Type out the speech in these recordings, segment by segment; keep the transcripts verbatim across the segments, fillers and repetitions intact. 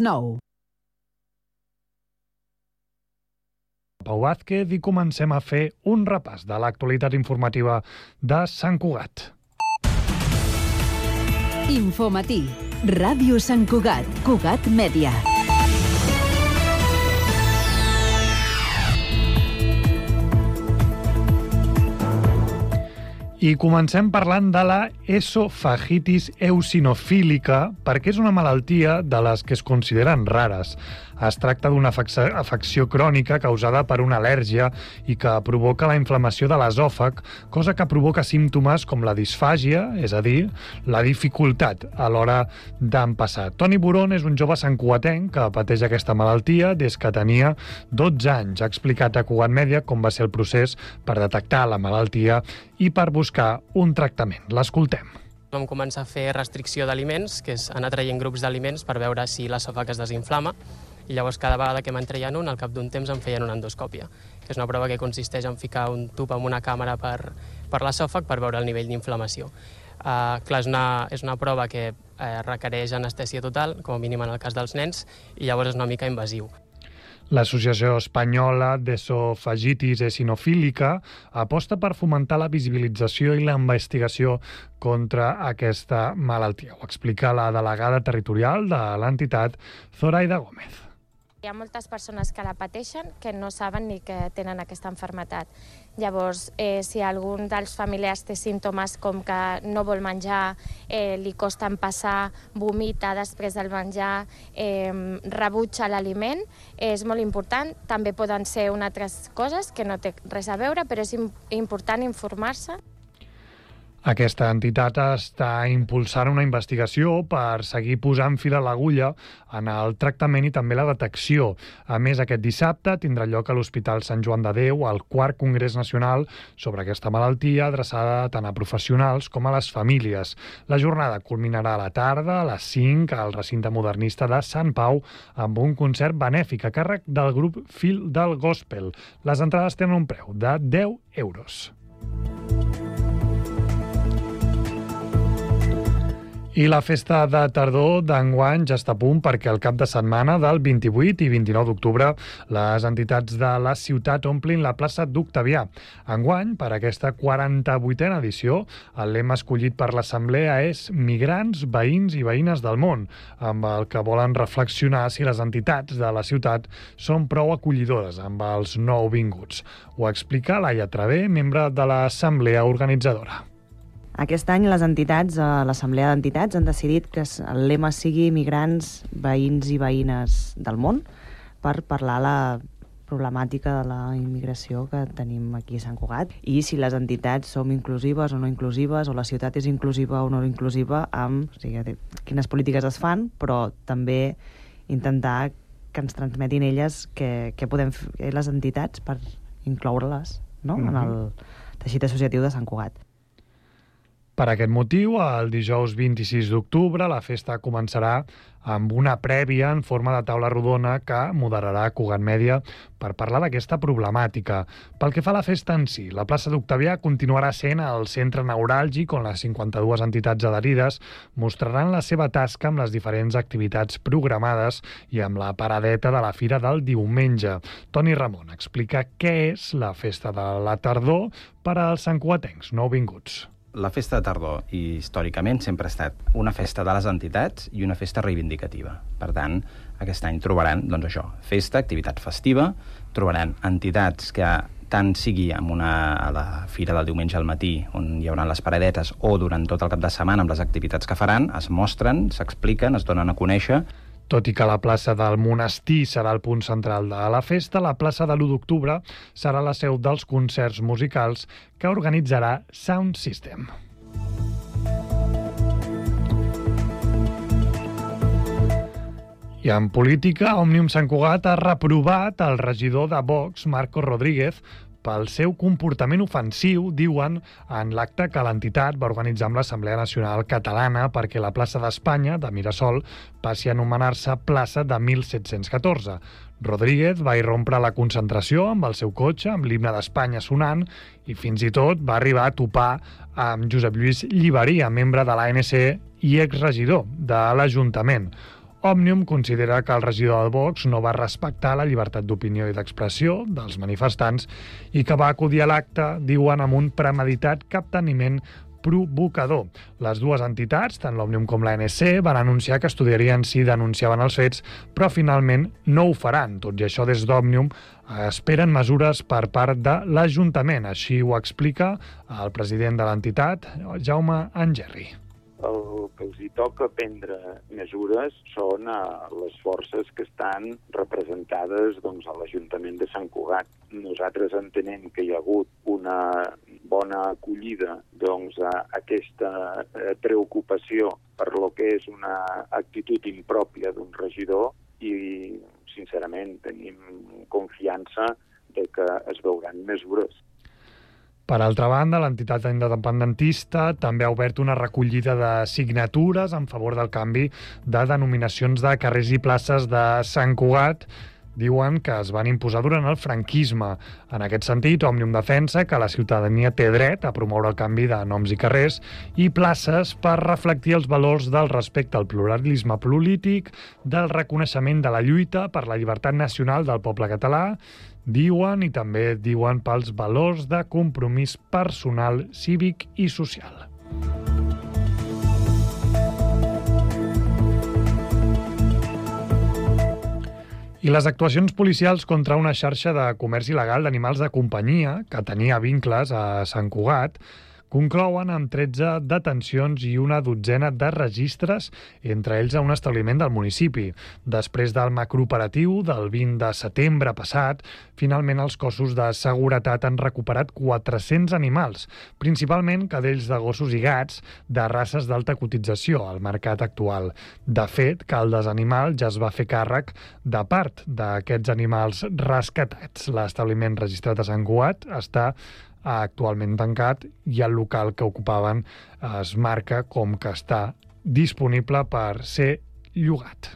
nou. Pau Vázquez i comencem a fer un repàs de l'actualitat informativa de Sant Cugat. Infomatí, Ràdio Sant Cugat, Cugat Mèdia. I comencem parlant de la esofagitis eosinofílica, perquè és una malaltia de les que es consideren rares. Es tracta d'una afecció crònica causada per una al·lèrgia i que provoca la inflamació de l'esòfag, cosa que provoca símptomes com la disfàgia, és a dir, la dificultat a l'hora d'empassar. Toni Burón és un jove santcugatenc que pateix aquesta malaltia des que tenia dotze anys. Ha explicat a Cugat Mèdia com va ser el procés per detectar la malaltia i per buscar un tractament. L'escoltem. Vam començar a fer restricció d'aliments, que és anar traient grups d'aliments per veure si l'esòfag es desinflama, i llavors cada vegada que me'n treien un, al cap d'un temps em feien una endoscòpia, que és una prova que consisteix en ficar un tub amb una càmera per, per l'esòfag per veure el nivell d'inflamació. Uh, clar, és una, és una prova que uh, requereix anestèsia total, com a mínim en el cas dels nens, i llavors és una mica invasiu. L'Associació Espanyola d'Esofagitis Eosinofílica aposta per fomentar la visibilització i la investigació contra aquesta malaltia. Ho explica la delegada territorial de l'entitat, Zoraida Gómez. Hi ha moltes persones que la pateixen que no saben ni que tenen aquesta malaltia. Llavors, eh, si algun dels familiars té símptomes com que no vol menjar, eh, li costa empassar, vomita després del menjar, eh, rebutja l'aliment, és molt important. També poden ser unes altres coses que no té res a veure, però és important informar-se. Aquesta entitat està impulsant una investigació per seguir posant fil a l'agulla en el tractament i també la detecció. A més, aquest dissabte tindrà lloc a l'Hospital Sant Joan de Déu el quart Congrés Nacional sobre aquesta malaltia, adreçada tant a professionals com a les famílies. La jornada culminarà a la tarda, a les cinc, al recinte modernista de Sant Pau, amb un concert benèfic a càrrec del grup Fil del Gospel. Les entrades tenen un preu de deu euros. I la festa de tardor d'enguany ja està a punt perquè el cap de setmana del vint-i-vuit i vint-i-nou d'octubre les entitats de la ciutat omplin la plaça d'Octavià. Enguany, per aquesta quaranta-vuitena edició, el lema escollit per l'Assemblea és Migrants, veïns i veïnes del món, amb el que volen reflexionar si les entitats de la ciutat són prou acollidores amb els nouvinguts. Ho explica Laia Travé, membre de l'Assemblea organitzadora. Aquest any les entitats, l'Assemblea d'Entitats, han decidit que el lema sigui Migrants, veïns i veïnes del món per parlar la problemàtica de la immigració que tenim aquí a Sant Cugat i si les entitats som inclusives o no inclusives o la ciutat és inclusiva o no inclusiva amb o sigui, quines polítiques es fan, però també intentar que ens transmetin elles què podem fer les entitats per incloure-les, no? Mm-hmm. en el teixit associatiu de Sant Cugat. Per aquest motiu, el dijous vint-i-sis d'octubre, la festa començarà amb una prèvia en forma de taula rodona que moderarà Cugat Mèdia per parlar d'aquesta problemàtica. Pel que fa a la festa en si, la plaça d'Octavià continuarà sent el centre neuràlgic on les cinquanta-dues entitats adherides mostraran la seva tasca amb les diferents activitats programades i amb la paradeta de la fira del diumenge. Toni Ramon explica què és la festa de la tardor per als santcugatencs nouvinguts. La festa de tardor, històricament, sempre ha estat una festa de les entitats i una festa reivindicativa. Per tant, aquest any trobaran, doncs això, festa, activitat festiva, trobaran entitats que tant sigui amb una, a la fira del diumenge al matí, on hi haurà les paradetes, o durant tot el cap de setmana amb les activitats que faran, es mostren, s'expliquen, es donen a conèixer. Tot i que la plaça del Monestir serà el punt central de la festa, la plaça de l'u d'octubre serà la seu dels concerts musicals que organitzarà Sound System. I en política, Òmnium Sant Cugat ha reprovat el regidor de Vox, Marcos Rodríguez, pel seu comportament ofensiu, diuen, en l'acte que l'entitat va organitzar amb l'Assemblea Nacional Catalana perquè la plaça d'Espanya, de Mirasol, passi a anomenar-se plaça de mil set-cents catorze. Rodríguez va irrompre la concentració amb el seu cotxe, amb l'himne d'Espanya sonant, i fins i tot va arribar a topar amb Josep Lluís Lliberia, membre de l'A N C i exregidor de l'Ajuntament. Òmnium considera que el regidor de Vox no va respectar la llibertat d'opinió i d'expressió dels manifestants i que va acudir a l'acte, diuen, amb un premeditat capteniment provocador. Les dues entitats, tant l'Òmnium com l'A N C, van anunciar que estudiarien si denunciaven els fets, però finalment no ho faran. Tot i això, des d'Òmnium esperen mesures per part de l'Ajuntament. Així ho explica el president de l'entitat, Jaume Angerri. El que els hi toca prendre mesures són a les forces que estan representades doncs, a l'Ajuntament de Sant Cugat. Nosaltres entenem que hi ha hagut una bona acollida doncs, a aquesta preocupació per lo que és una actitud impròpia d'un regidor i, sincerament, tenim confiança de que es veuran mesures. Per altra banda, l'entitat independentista també ha obert una recollida de signatures en favor del canvi de denominacions de carrers i places de Sant Cugat. Diuen que es van imposar durant el franquisme. En aquest sentit, Òmnium defensa que la ciutadania té dret a promoure el canvi de noms i carrers i places per reflectir els valors del respecte al pluralisme polític, del reconeixement de la lluita per la llibertat nacional del poble català, diuen, i també diuen pels valors de compromís personal, cívic i social. I les actuacions policials contra una xarxa de comerç il·legal d'animals de companyia que tenia vincles a Sant Cugat conclouen amb tretze detencions i una dotzena de registres, entre ells a un establiment del municipi. Després del macrooperatiu del vint de setembre passat, finalment els cossos de seguretat han recuperat quatre-cents animals, principalment cadells de gossos i gats de races d'alta cotització al mercat actual. De fet, Caldes Animal ja es va fer càrrec de part d'aquests animals rescatats. L'establiment registrat a Sant Cugat està actualment tancat i el local que ocupaven es marca com que està disponible per ser llogat.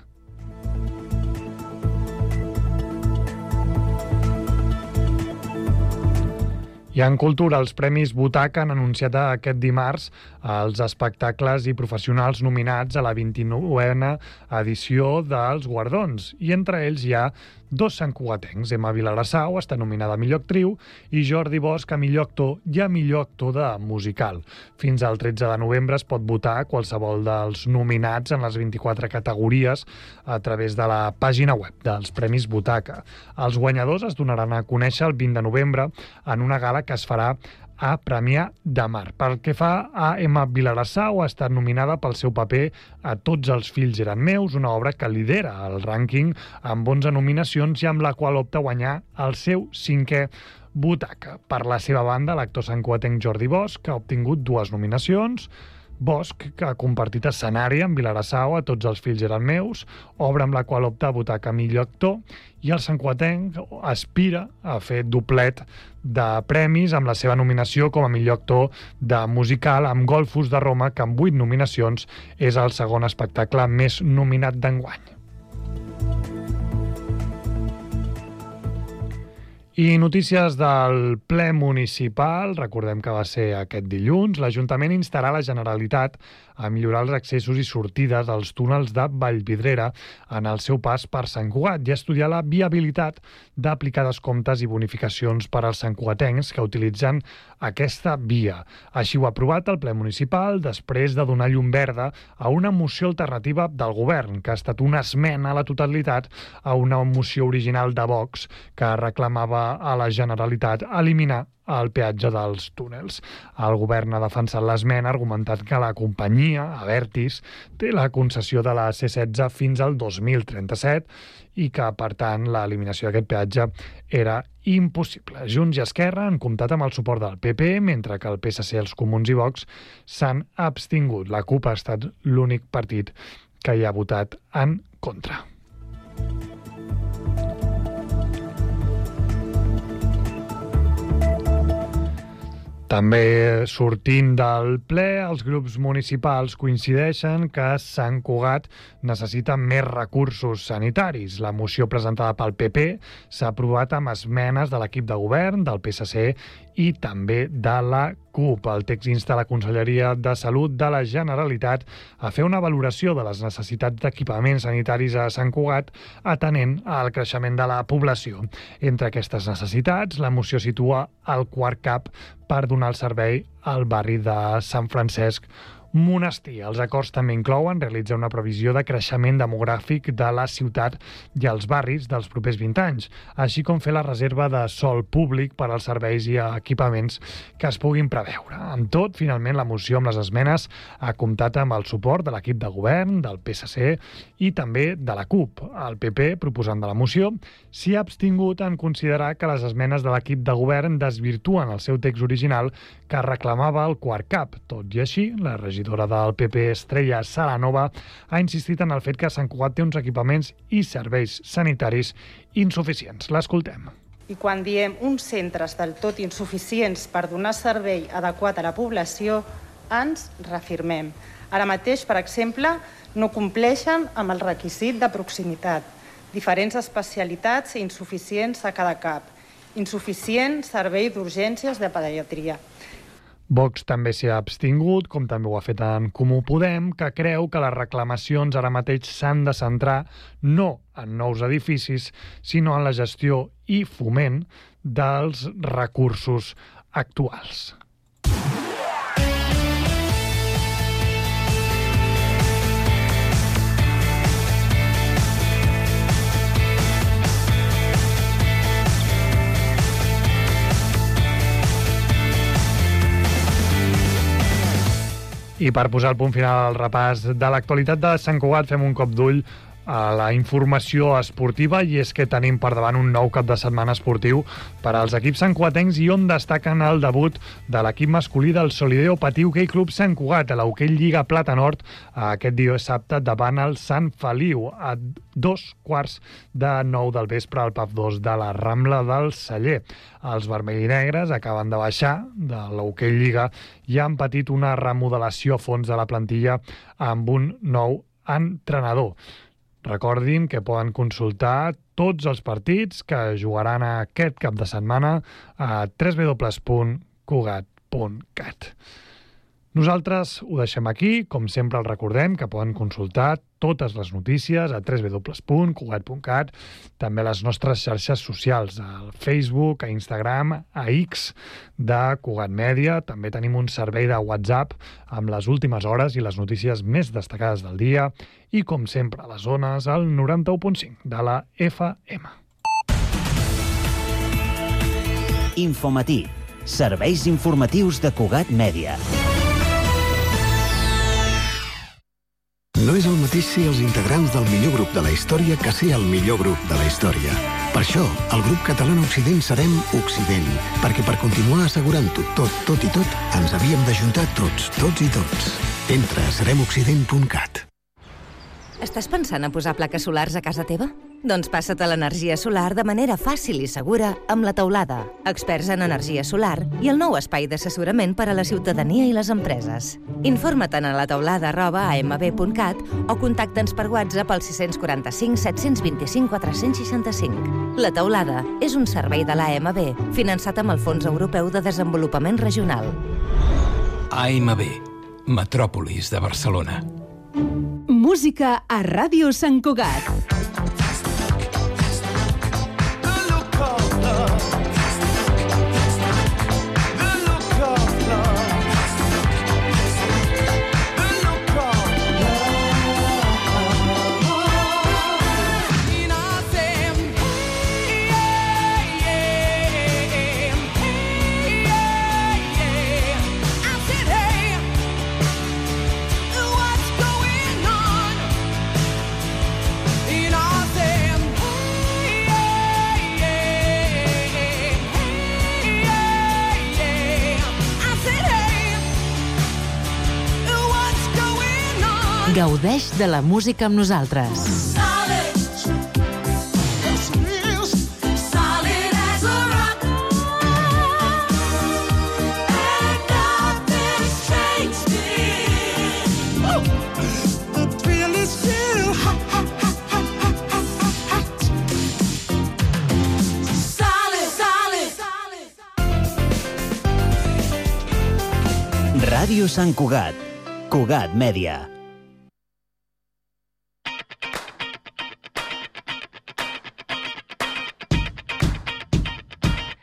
I en cultura, els Premis Butaca han anunciat aquest dimarts els espectacles i professionals nominats a la vint-i-novena edició dels Guardons. I entre ells hi ha dos santcugatencs. Emma Vilarassau està nominada a millor actriu i Jordi Bosch a millor actor i a millor actor de musical. Fins al tretze de novembre es pot votar qualsevol dels nominats en les vint-i-quatre categories a través de la pàgina web dels Premis Butaca. Els guanyadors es donaran a conèixer el vint de novembre en una gala que es farà a Premià de Mar. Pel que fa a Emma Vilarassau, ha estat nominada pel seu paper a Tots els fills eren meus, una obra que lidera el rànquing amb onze nominacions i amb la qual opta a guanyar el seu cinquè Butaca. Per la seva banda, l'actor santcugatenc Jordi Bosch, que ha obtingut dues nominacions, Bosch, que ha compartit escenari amb Vilarassau a Tots els fills eren meus, obra amb la qual opta a Butaca millor actor, i el santcugatenc aspira a fer doblet de premis amb la seva nominació com a millor actor de musical amb Golfos de Roma, que amb vuit nominacions és el segon espectacle més nominat d'enguany. I notícies del ple municipal, recordem que va ser aquest dilluns, l'Ajuntament instarà la Generalitat a millorar els accessos i sortides als túnels de Vallvidrera en el seu pas per Sant Cugat i estudiar la viabilitat d'aplicar descomptes i bonificacions per als santcugatencs que utilitzen aquesta via. Així ho ha aprovat el ple municipal després de donar llum verda a una moció alternativa del govern, que ha estat una esmena a la totalitat a una moció original de Vox que reclamava a la Generalitat eliminar el peatge dels túnels. El govern ha defensat l'esmena, argumentant que la companyia, Abertis, té la concessió de la C setze fins al dos mil trenta-set i que, per tant, l'eliminació d'aquest peatge era impossible. Junts i Esquerra han comptat amb el suport del P P, mentre que el P S C, els Comuns i Vox s'han abstingut. La CUP ha estat l'únic partit que hi ha votat en contra. També sortint del ple, els grups municipals coincideixen que Sant Cugat necessita més recursos sanitaris. La moció presentada pel P P s'ha aprovat amb esmenes de l'equip de govern, del P S C i també de la C U P. El text insta la Conselleria de Salut de la Generalitat a fer una valoració de les necessitats d'equipaments sanitaris a Sant Cugat atenent al creixement de la població. Entre aquestes necessitats, la moció situa el quart CAP per donar el servei al barri de Sant Francesc Monestir. Els acords també inclouen realitzar una previsió de creixement demogràfic de la ciutat i els barris dels propers vint anys, així com fer la reserva de sòl públic per als serveis i equipaments que es puguin preveure. Amb tot, finalment, la moció amb les esmenes ha comptat amb el suport de l'equip de govern, del P S C i també de la C U P. El P P, proposant de la moció, s'hi ha abstingut en considerar que les esmenes de l'equip de govern desvirtuen el seu text original que reclamava el quart CAP. Tot i així, la regidora del P P, Estrella Salanova, ha insistit en el fet que Sant Cugat té uns equipaments i serveis sanitaris insuficients. L'escoltem. I quan diem uns centres del tot insuficients per donar servei adequat a la població, ens reafirmem. Ara mateix, per exemple, no compleixen amb el requisit de proximitat. Diferents especialitats i insuficients a cada CAP. Insuficient servei d'urgències de pediatria. Vox també s'hi ha abstingut, com també ho ha fet en Comú Podem, que creu que les reclamacions ara mateix s'han de centrar no en nous edificis, sinó en la gestió i foment dels recursos actuals. I per posar el punt final al repàs de l'actualitat de Sant Cugat, fem un cop d'ull a la informació esportiva, i és que tenim per davant un nou cap de setmana esportiu per als equips santcugatencs, i on destaquen el debut de l'equip masculí del Solideo Patí Hoquei Club Sant Cugat a l'Hoquei Lliga Plata Nord aquest dissabte davant el Sant Feliu a dos quarts de nou del vespre al P A F dos de la Rambla del Celler. Els vermell i negres acaben de baixar de l'Hoquei Lliga i han patit una remodelació a fons de la plantilla amb un nou entrenador. Recordin que poden consultar tots els partits que jugaran aquest cap de setmana a w w w punt cugat punt cat. Nosaltres ho deixem aquí. Com sempre els recordem que poden consultar totes les notícies a w w w punt cugat punt cat, també a les nostres xarxes socials, al Facebook, a Instagram, a X de Cugat Mèdia. També tenim un servei de WhatsApp amb les últimes hores i les notícies més destacades del dia, i com sempre a les zones al noranta-u punt cinc de la F M. Infomatí. Serveis informatius de Cugat Mèdia. No és el mateix ser els integrants del millor grup de la història que ser el millor grup de la història. Per això, el grup català Occident serem Occident, perquè per continuar assegurant-ho tot, tot i tot, ens havíem d'ajuntar tots, tots i tots. Entra a serem occident punt cat. Estàs pensant a posar plaques solars a casa teva? Doncs passa't a l'energia solar de manera fàcil i segura amb La Teulada, experts en energia solar i el nou espai d'assessorament per a la ciutadania i les empreses. Informa't a lateulada arroba a m b punt cat o contacta'ns per WhatsApp al sis quatre cinc set dos cinc quatre sis cinc. La Teulada és un servei de l'A M B finançat amb el Fons Europeu de Desenvolupament Regional. A M B, Metròpolis de Barcelona. Música a Ràdio Sant Cugat. Gaudeix de la música amb nosaltres. Ràdio Sant Cugat. Cugat Mèdia.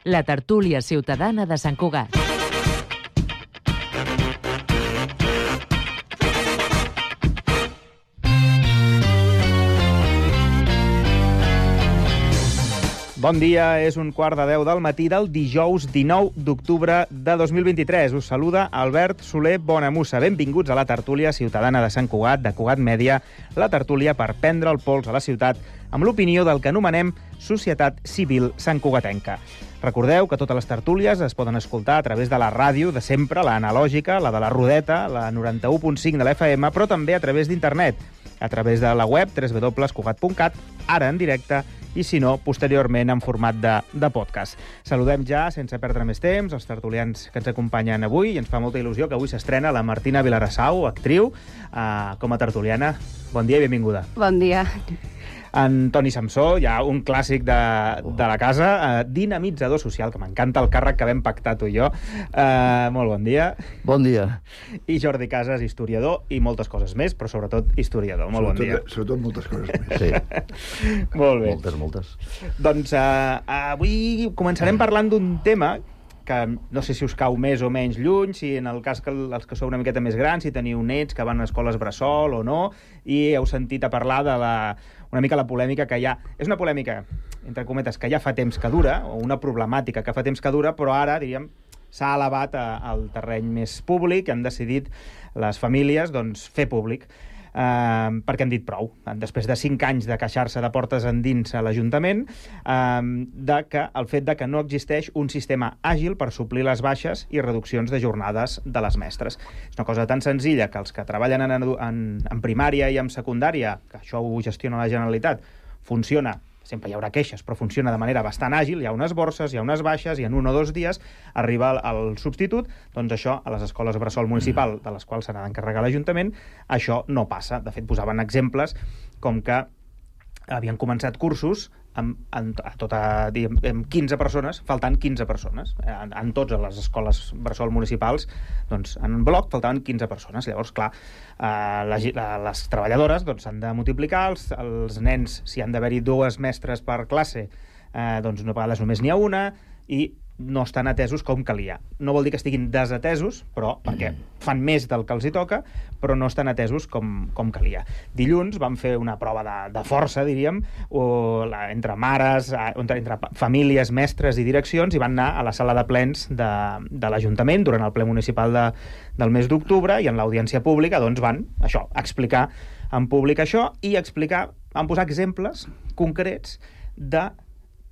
La tertúlia ciutadana de Sant Cugat. Bon dia, és un quart de deu del matí del dijous dinou d'octubre de dos mil vint-i-tres. Us saluda Albert Soler Bonamussa. Benvinguts a la tertúlia ciutadana de Sant Cugat, de Cugat Mèdia, la tertúlia per prendre el pols a la ciutat amb l'opinió del que anomenem Societat Civil Santcugatenca. Recordeu que totes les tertúlies es poden escoltar a través de la ràdio de sempre, la analògica, la de la Rodeta, la noranta-u punt cinc de l'F M, però també a través d'internet, a través de la web w w w punt cugat punt cat, ara en directe, i si no, posteriorment en format de, de podcast. Saludem ja, sense perdre més temps, els tertulians que ens acompanyen avui, i ens fa molta il·lusió que avui s'estrena la Martina Vilarassau, actriu, eh, com a tertuliana. Bon dia i benvinguda. Bon dia. En Toni Samsó, ja un clàssic de, de la casa, eh, dinamitzador social, que m'encanta el càrrec que vam pactar tu i jo. Eh, molt bon dia. Bon dia. I Jordi Casas, historiador i moltes coses més, però sobretot historiador. Molt sobretot, bon dia. Sobretot moltes coses més. Sí. Molt bé. Moltes, moltes. Doncs eh, avui començarem parlant d'un tema que no sé si us cau més o menys lluny, si en el cas que els que sou una miqueta més grans, si teniu nets que van a escoles bressol o no, i heu sentit a parlar de la, una mica la polèmica que hi ha. És una polèmica, entre cometes, que ja fa temps que dura, o una problemàtica que fa temps que dura, però ara, diríem, s'ha elevat a, al terreny més públic i han decidit les famílies doncs, fer públic. Uh, perquè han dit prou, després de cinc anys de queixar-se de portes endins a l'Ajuntament, uh, de que el fet de que no existeix un sistema àgil per suplir les baixes i reduccions de jornades de les mestres. És una cosa tan senzilla que els que treballen en, en, en primària i en secundària, que això ho gestiona la Generalitat, funciona, sempre hi haurà queixes, però funciona de manera bastant àgil, hi ha unes borses, hi ha unes baixes, i en un o dos dies arriba el, el substitut, doncs això, a les escoles bressol municipal, de les quals se n'ha d'encarregar l'Ajuntament, això no passa. De fet, posaven exemples com que havien començat cursos amb, amb, a tota, diguem, amb quinze persones, faltant quinze persones. En, en tots les escoles bressol municipals, doncs, en bloc faltaven quinze persones. Llavors, clar, eh, la, la, les treballadores doncs, s'han de multiplicar, els, els nens, si han d'haver-hi dues mestres per classe, eh, doncs no a vegades només n'hi ha una, i no estan atesos com calia. No vol dir que estiguin desatesos, però perquè fan més del que els hi toca, però no estan atesos com, com calia. Dilluns vam fer una prova de, de força, diríem, o la, entre mares, entre, entre famílies, mestres i direccions, i van anar a la sala de plens de, de l'Ajuntament durant el ple municipal de, del mes d'octubre, i en l'audiència pública doncs van, això, explicar en públic això, i explicar, van posar exemples concrets de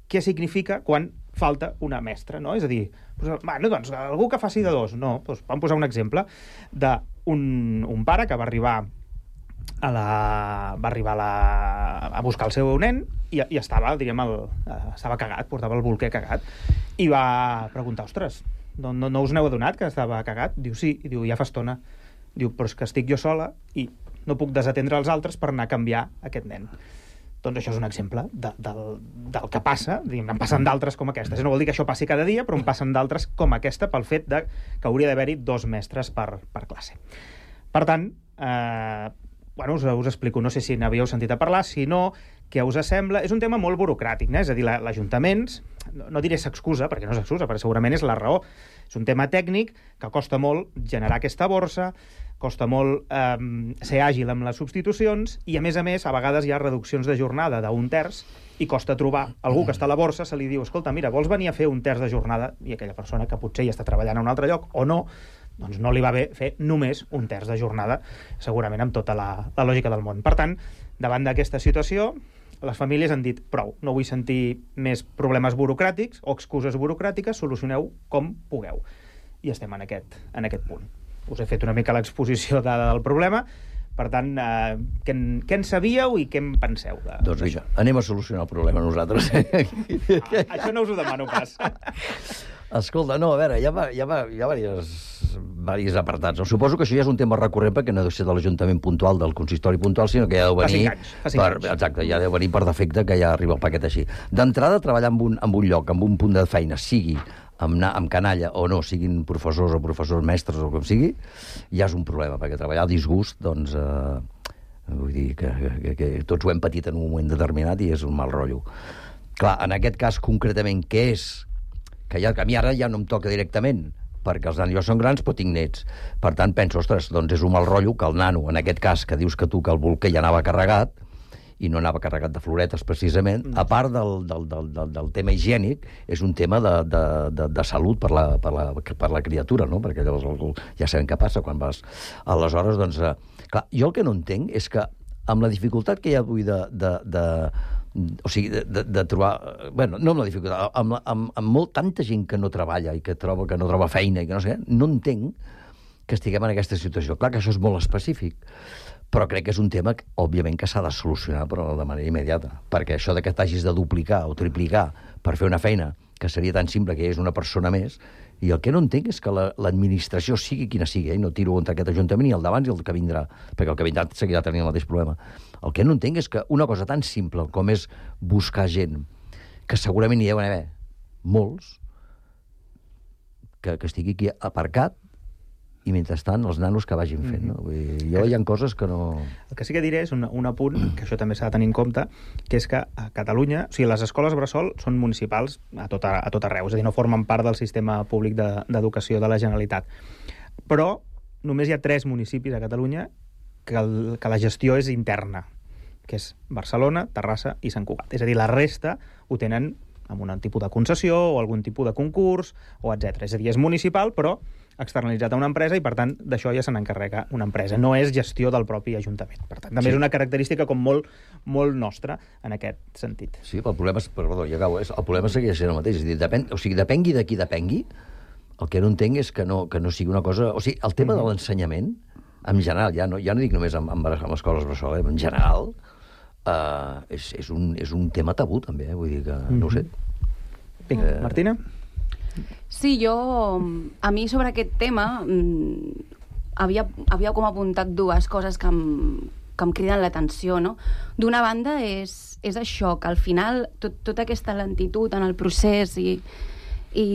què significa quan falta una mestra, no? És a dir, doncs, bueno, doncs, algú que faci de dos. No, doncs vam posar un exemple d'un un pare que va arribar a la, va arribar a, la, a buscar el seu nen i, i estava, diríem, el, estava cagat, portava el bolquer cagat, i va preguntar, ostres, no, no, no us n'heu adonat que estava cagat? Diu, sí, i diu, ja fa estona. Diu, però és que estic jo sola i no puc desatendre els altres per anar a canviar aquest nen. Doncs això és un exemple de, del, del que passa, en passen d'altres com aquestes. No vol dir que això passi cada dia, però en passen d'altres com aquesta pel fet de que hauria d'haver-hi dos mestres per, per classe. Per tant, eh, bueno, us, us explico, no sé si n'havíeu sentit a parlar, si no, què us sembla? És un tema molt burocràtic, eh? És a dir, l'Ajuntament, no, no diré s'excusa, perquè no s'excusa, perquè segurament és la raó. És un tema tècnic que costa molt generar aquesta borsa, costa molt eh, ser àgil amb les substitucions, i a més a més a vegades hi ha reduccions de jornada d'un terç i costa trobar algú que està a la borsa, se li diu, escolta, mira, vols venir a fer un terç de jornada? I aquella persona que potser ja està treballant a un altre lloc o no, doncs no li va bé fer només un terç de jornada, segurament amb tota la, la lògica del món. Per tant, davant d'aquesta situació, les famílies han dit, prou, no vull sentir més problemes burocràtics o excuses burocràtiques, solucioneu com pugueu. I estem en aquest, en aquest punt. Us he fet una mica l'exposició de, del problema, per tant, eh, què, en, què en sabíeu i què en penseu? De, doncs mira, anem a solucionar el problema nosaltres. Ah, això no us ho demano pas. Escolta, no, a veure, hi ha, hi ha, hi ha diversos, diversos apartats. No? Suposo que això ja és un tema recurrent perquè no deu ser de l'Ajuntament puntual, del consistori puntual, sinó que ja deu venir... Fa cinc anys. Fa cinc per, anys. Exacte, ja deu venir per defecte que ja arriba el paquet així. D'entrada, treballar en un, en un lloc, en un punt de feina, sigui amb, amb canalla o no, siguin professors o professors mestres o com sigui, ja és un problema, perquè treballar a disgust, doncs, eh, vull dir que, que, que tots ho hem patit en un moment determinat i és un mal rotllo. Clar, en aquest cas concretament, què és? Que, ja, que a mi ara ja no em toca directament, perquè els nanos són grans però tinc nets. Per tant, penso, ostres, doncs és un mal rotllo que el nano, en aquest cas, que dius que tu que el bolquer ja anava carregat, i no anava carregat de floretes, precisament, a part del, del, del, del, del tema higiènic, és un tema de, de, de, de salut per la, per, la, per la criatura, no? Perquè llavors ja sabem què passa quan vas... Aleshores, doncs, eh, clar, jo el que no entenc és que amb la dificultat que hi ha avui de... de, de o sigui, de, de, de trobar... Bueno, no amb la dificultat, amb, amb, amb molt, tanta gent que no treballa i que troba que no troba feina i que no sé, no entenc que estiguem en aquesta situació. Clar que això és molt específic, però crec que és un tema, que, òbviament, que s'ha de solucionar però de manera immediata, perquè això de que t'hagis de duplicar o triplicar per fer una feina que seria tan simple que és una persona més, i el que no entenc és que l'administració, la, sigui quina sigui, eh, no tiro contra aquest ajuntament ni el d'abans i el que vindrà, perquè el que vindrà seguirà tenint el mateix problema. El que no entenc és que una cosa tan simple com és buscar gent, que segurament hi deuen haver molts, que, que estigui aquí aparcat, i mentrestant els nanos que vagin fent. No? Vull dir, jo hi ha coses que no... El que sí que diré és un, un apunt, que això també s'ha de tenir en compte, que és que a Catalunya, o sigui, les escoles bressol són municipals a tot, a, a tot arreu, és a dir, no formen part del sistema públic d'educació de, de la Generalitat. Però només hi ha tres municipis a Catalunya que, el, que la gestió és interna, que és Barcelona, Terrassa i Sant Cugat. És a dir, la resta ho tenen amb un tipus de concessió o algun tipus de concurs, o etcètera. És a dir, és municipal, però externalitzat a una empresa i, per tant, d'això ja se n'encarrega una empresa. No és gestió del propi Ajuntament. Per tant, també sí. És una característica com molt, molt nostra en aquest sentit. Sí, però el problema, és, perdó, ja acabo, és, el problema segueix sent el mateix. És a dir, depèn, o sigui, depengui de qui depengui, el que no entenc és que no, que no sigui una cosa... O sigui, el tema mm-hmm. de l'ensenyament, en general, ja no, ja no dic només amb, amb, amb escoles bressol, eh, en general, eh, és, és, un, és un tema tabú, també, eh? Vull dir que, mm-hmm. no ho sé. Vinga, eh... Martina? Sí, jo, a mi sobre aquest tema havia, havia com apuntat dues coses que em, que em criden l'atenció, no? D'una banda és, és això, que al final tot, tota aquesta lentitud en el procés i, i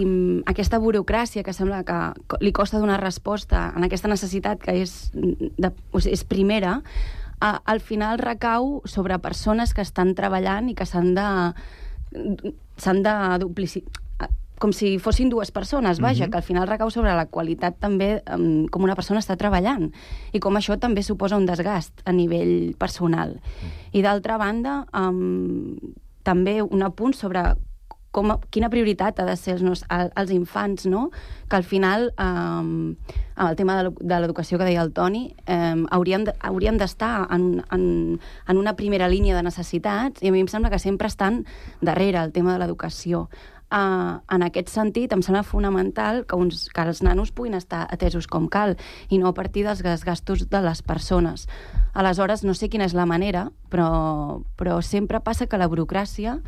aquesta burocràcia que sembla que li costa donar resposta en aquesta necessitat que és, de, o sigui, és primera, a, al final recau sobre persones que estan treballant i que s'han de s'han de duplicitar, com si fossin dues persones, vaja, uh-huh. que al final recau sobre la qualitat també um, com una persona està treballant i com això també suposa un desgast a nivell personal. Uh-huh. I d'altra banda, um, també un apunt sobre com, quina prioritat ha de ser els, els infants, no? Que al final, um, amb el tema de l'educació que deia el Toni, um, hauríem de, hauríem d'estar en, en, en una primera línia de necessitats i a mi em sembla que sempre estan darrere el tema de l'educació. Uh, en aquest sentit, em sembla fonamental que, uns, que els nanos puguin estar atesos com cal i no a partir dels gastos de les persones. Aleshores, no sé quina és la manera, però, però sempre passa que la burocràcia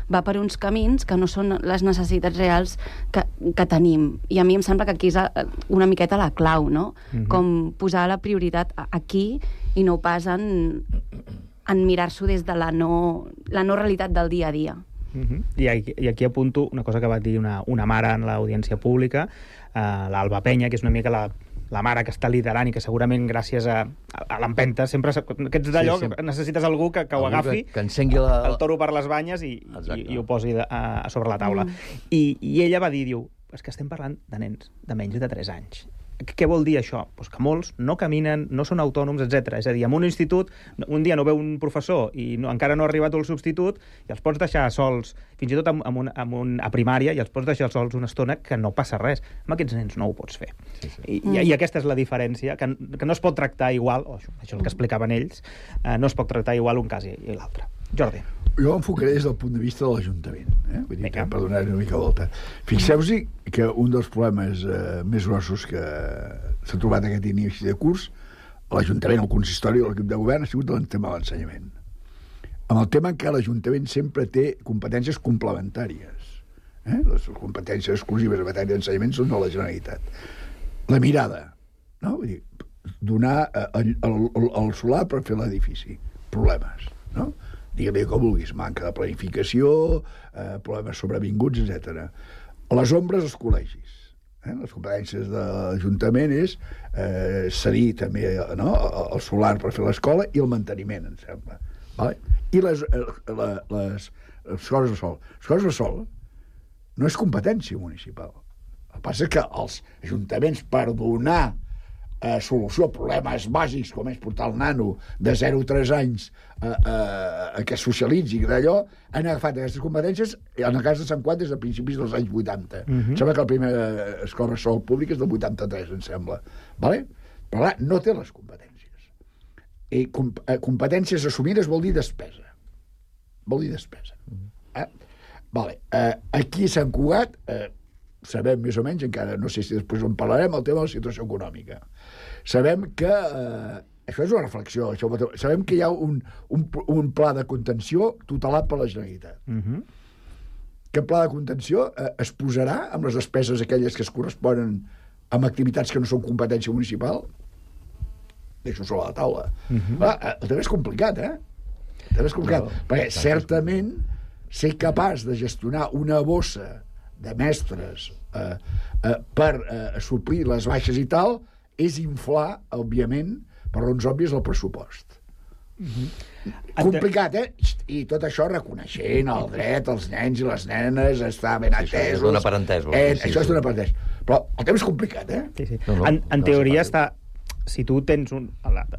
va per uns camins que no són les necessitats reals que, que tenim. I a mi em sembla que aquí és una miqueta la clau, no? Mm-hmm. Com posar la prioritat aquí i no pas en, en mirar-s'ho des de la no, la no realitat del dia a dia. Uh-huh. I, aquí, I aquí apunto una cosa que va dir una, una mare en l'audiència pública, uh, l'Alba Penya, que és una mica la, la mare que està liderant i que segurament gràcies a, a, a l'empenta sempre aquests d'allò sí, sí. que necessites algú que, que ho agafi, que, que encengui la... el toro per les banyes i, i, i ho posi de, a, a sobre la taula. Mm. I, I ella va dir, diu, és que estem parlant de nens de menys de tres anys. Què vol dir això? Pues que molts no caminen, no són autònoms, etcètera. És a dir, en un institut, un dia no veu un professor i no, encara no ha arribat el substitut i els pots deixar sols, fins i tot amb, amb un, amb un, a primària, i els pots deixar sols una estona que no passa res. Amb aquests nens no ho pots fer. Sí, sí. I, mm. i, I aquesta és la diferència, que, que no es pot tractar igual, oh, això, això és el que explicaven ells, eh, no es pot tractar igual un cas i, i l'altre. Jordi. Jo enfocaré des del punt de vista de l'Ajuntament, eh? Vull dir, per donar-hi una mica volta. Fixeu-vos que un dels problemes eh, més grossos que s'ha trobat aquest inici de curs, l'Ajuntament, el consistori o l'equip de govern, ha sigut el tema de l'ensenyament. Amb el tema en què l'Ajuntament sempre té competències complementàries. Eh? Les competències exclusives en matèria d'ensenyament són de la Generalitat. La mirada, no? Vull dir, donar el, el, el, el solar per fer l'edifici. Problemes, no? Digue-li com vulguis, manca de planificació, eh, problemes sobrevinguts, etcètera. Les ombres als col·legis. Eh? Les competències de l'Ajuntament és eh, cedir també no? el solar per fer l'escola i el manteniment, em sembla. Vale? I les, les, les, les coses de sol. Les coses de sol no és competència municipal. El que passa és que els ajuntaments, per donar eh, solució a problemes bàsics com és portar el nano de zero a tres anys a, a, a que socialitzi d'allò, han agafat aquestes competències en el cas de Sant Quat des de principis dels anys vuitanta. Mhm. Em sembla que la primera escola bressol pública és del vuitanta-tres, em sembla. Vale? Però clar, no té les competències. I com, eh, competències assumides vol dir despesa. Vol dir despesa. Eh? Vale. Eh, aquí a Sant Cugat eh, sabem més o menys, encara no sé si després en parlarem, el tema de la situació econòmica. Sabem que eh, això és una reflexió, això, sabem que hi ha un, un, un pla de contenció tutelat per la Generalitat. Mhm. Aquest pla de contenció eh, es posarà amb les despeses aquelles que es corresponen amb activitats que no són competència municipal? Deixo sobre la taula. Mhm. Clar, eh, el tema és complicat, eh? El tema és complicat, No, perquè exacte. certament ser capaç de gestionar una bossa de mestres eh, eh, per eh, suplir les baixes i tal és inflar, òbviament, per raons òbvies, el pressupost. Complicat, eh? I tot això reconeixent el dret als nens i les nenes, està ben Sí, això atesos. és donar per entès, Eh, sí, això sí. és donar per entès. Però el tema és complicat, eh? Sí, sí. No, no, en en no teoria és està... Si tu tens un...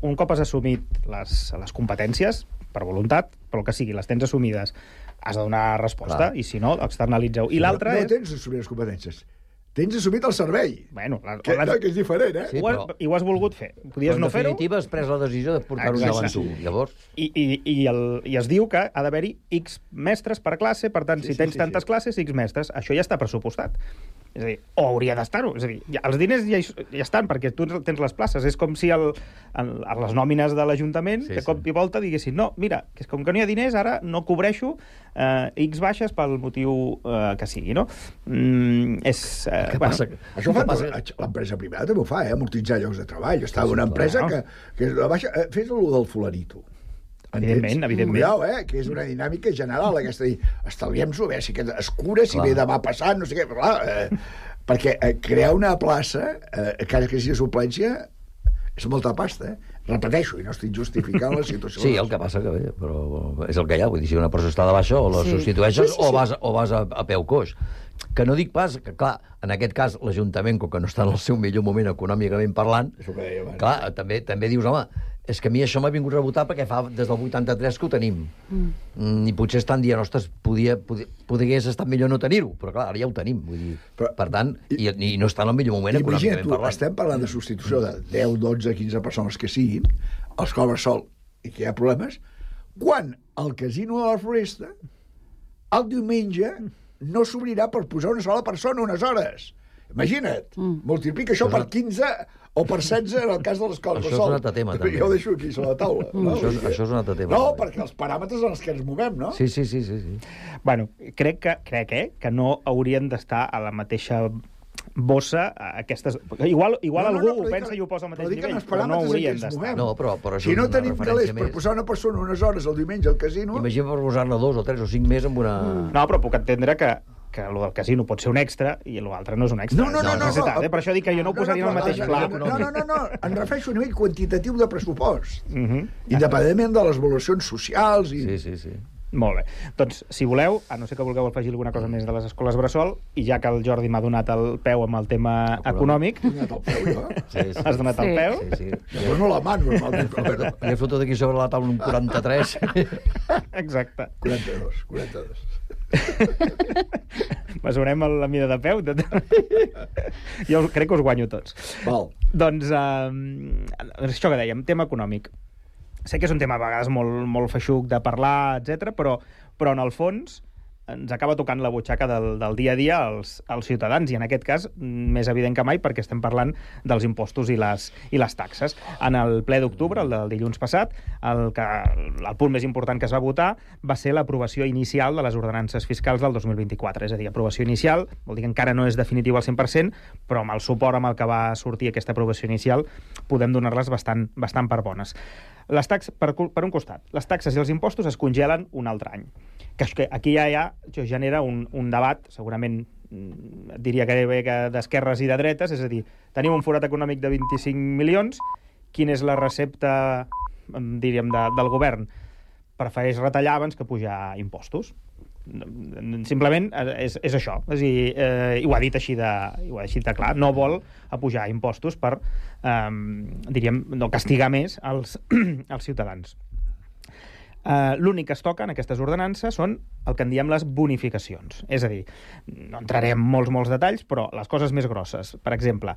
Un cop has assumit les, les competències, per voluntat, però el que sigui, les tens assumides, has de donar resposta, Clar. i si no, externalitzeu. I l'altre no, no és... tens assumit les competències. Tens assumit el servei. Bueno, la, que, no, que és diferent, eh? Sí, ho, has, però- I ho has volgut fer. Podies Però en no fer-ho. definitiva has pres la decisió de portar-ho Exacte. davant tu. Llavors, I, i, i, el, I es diu que ha d'haver-hi X mestres per classe, per tant, Sí, si sí, tens sí, tantes sí. classes, X mestres. Això ja està pressupostat. És a dir, o hauria d'estar-ho. És a dir, ja, els diners ja, hi- ja estan, perquè tu tens les places. És com si el, el, a les nòmines de l'Ajuntament, Sí, de cop i volta, diguessin, no, mira, que és com que no hi ha diners, ara no cobreixo eh, X baixes pel motiu eh, que sigui, no? Mm, és... Eh, Què passa? Això fa passa? l'empresa privada també ho fa, eh? Amortitzar llocs de treball. Està una empresa clar. que, que és la baixa... eh, Fes el del fularito. Evidentment, evidentment. Cuidao, eh? Que és una dinàmica general, aquesta. Dir, estalviem-s'ho, a veure si aquest es cura, si Clar. ve demà passant, no sé què. Però, clar, eh, perquè eh, crear una plaça, eh, encara que sigui suplència, és molta pasta, eh? Repeteixo, i no estic justificant la situació. sí, el que passa que bé, però és el que hi ha. Vull dir, si una persona està de baixa, o la Sí. substitueixes Sí, sí, sí. o vas, o vas a, a peu coix. Que no dic pas que, clar, en aquest cas, l'Ajuntament, com que no està en el seu millor moment econòmicament parlant, És el que deia abans. clar, també, també dius, home, és que a mi això m'ha vingut a rebotar perquè fa des del vuitanta-tres que ho tenim. Mm. I potser estan dient, ostres, podia, podia, podries estar millor no tenir-ho, però clar, ara ja ho tenim. Vull dir, Però- per tant, i, i no està en el millor moment Imagina't econòmicament tu, parlant. estem parlant de substitució de deu, dotze, quinze persones que siguin, els cobres sol i que hi ha problemes, quan el casino de la Floresta el diumenge no s'obrirà per posar una sola persona unes hores. Imagina't, mm. multiplica això per quinze o per setze en el cas de l'escola Això de és sol. un altre tema, també. Jo ho deixo aquí sobre la taula. No? Això és- això és un altre tema, No, també. perquè els paràmetres en els que ens movem, no? Sí, sí, sí, sí, sí. Bueno, crec que, crec, eh, que no haurien d'estar a la mateixa bossa a aquestes... Igual, igual No, no, algú no, ho però pensa dic- i ho posa al però mateix dic en nivell, els però no paràmetres en què haurien ens d'estar. movem. No, però, però això Si és no una tenim referència calés per més. posar una persona unes hores el diumenge al casino... Imagina per posar-ne dos o tres o cinc més amb una... No, però puc entendre que que el del casino pot ser un extra i l'altre no és un extra. No, no, no, és una no, necessitat, no. eh? Per això dic que jo no ho posaria en el mateix no, pla. no, no, no, no, no, em refereixo a nivell quantitatiu de pressupost. Uh -huh. Independentment de les evolucions socials i... Sí, sí, sí. Molt bé. Doncs, si voleu, a no ser que vulgueu afegir alguna cosa més de les escoles bressol, i ja que el Jordi m'ha donat el peu amb el tema econòmic... He donat el peu, jo? Sí, sí. Has donat el peu? Sí, sí. Llavors no la mano, normalment, però... Li he fotut aquí sobre la taula un quaranta-tres. Exacte. quaranta-dos, quaranta-dos. Mesurem la mida de peu? Jo crec que us guanyo tots. Val. Doncs, eh, això que dèiem, tema econòmic. Sé que és un tema a vegades molt, molt feixuc de parlar, etcètera, però, però en el fons ens acaba tocant la butxaca del, del dia a dia als, als ciutadans, i en aquest cas més evident que mai perquè estem parlant dels impostos i les, i les taxes. En el ple d'octubre, el del dilluns passat, el, que, el punt més important que es va votar va ser l'aprovació inicial de les ordenances fiscals del dos mil vint-i-quatre, és a dir, aprovació inicial, vol dir que encara no és definitiu al cent per cent, però amb el suport amb el que va sortir aquesta aprovació inicial podem donar-les bastant, bastant per bones. Les taxes, per, per un costat, les taxes i els impostos es congelen un altre any. Que, que aquí ja, ja això genera un, un debat segurament diria que d'esquerres i de dretes, és a dir, tenim un forat econòmic de vint-i-cinc milions, quina és la recepta, diríem, de, del govern? Prefereix retallar abans que pujar impostos. Simplement és, és això, és a dir, eh, i ho ha dit així de, ho ha dit de clar, no vol apujar impostos per, eh, diríem, no castigar més els, els ciutadans. Eh, l'únic que es toca en aquestes ordenances són el que en diem les bonificacions, és a dir, no entraré en molts, molts detalls, però les coses més grosses. Per exemple,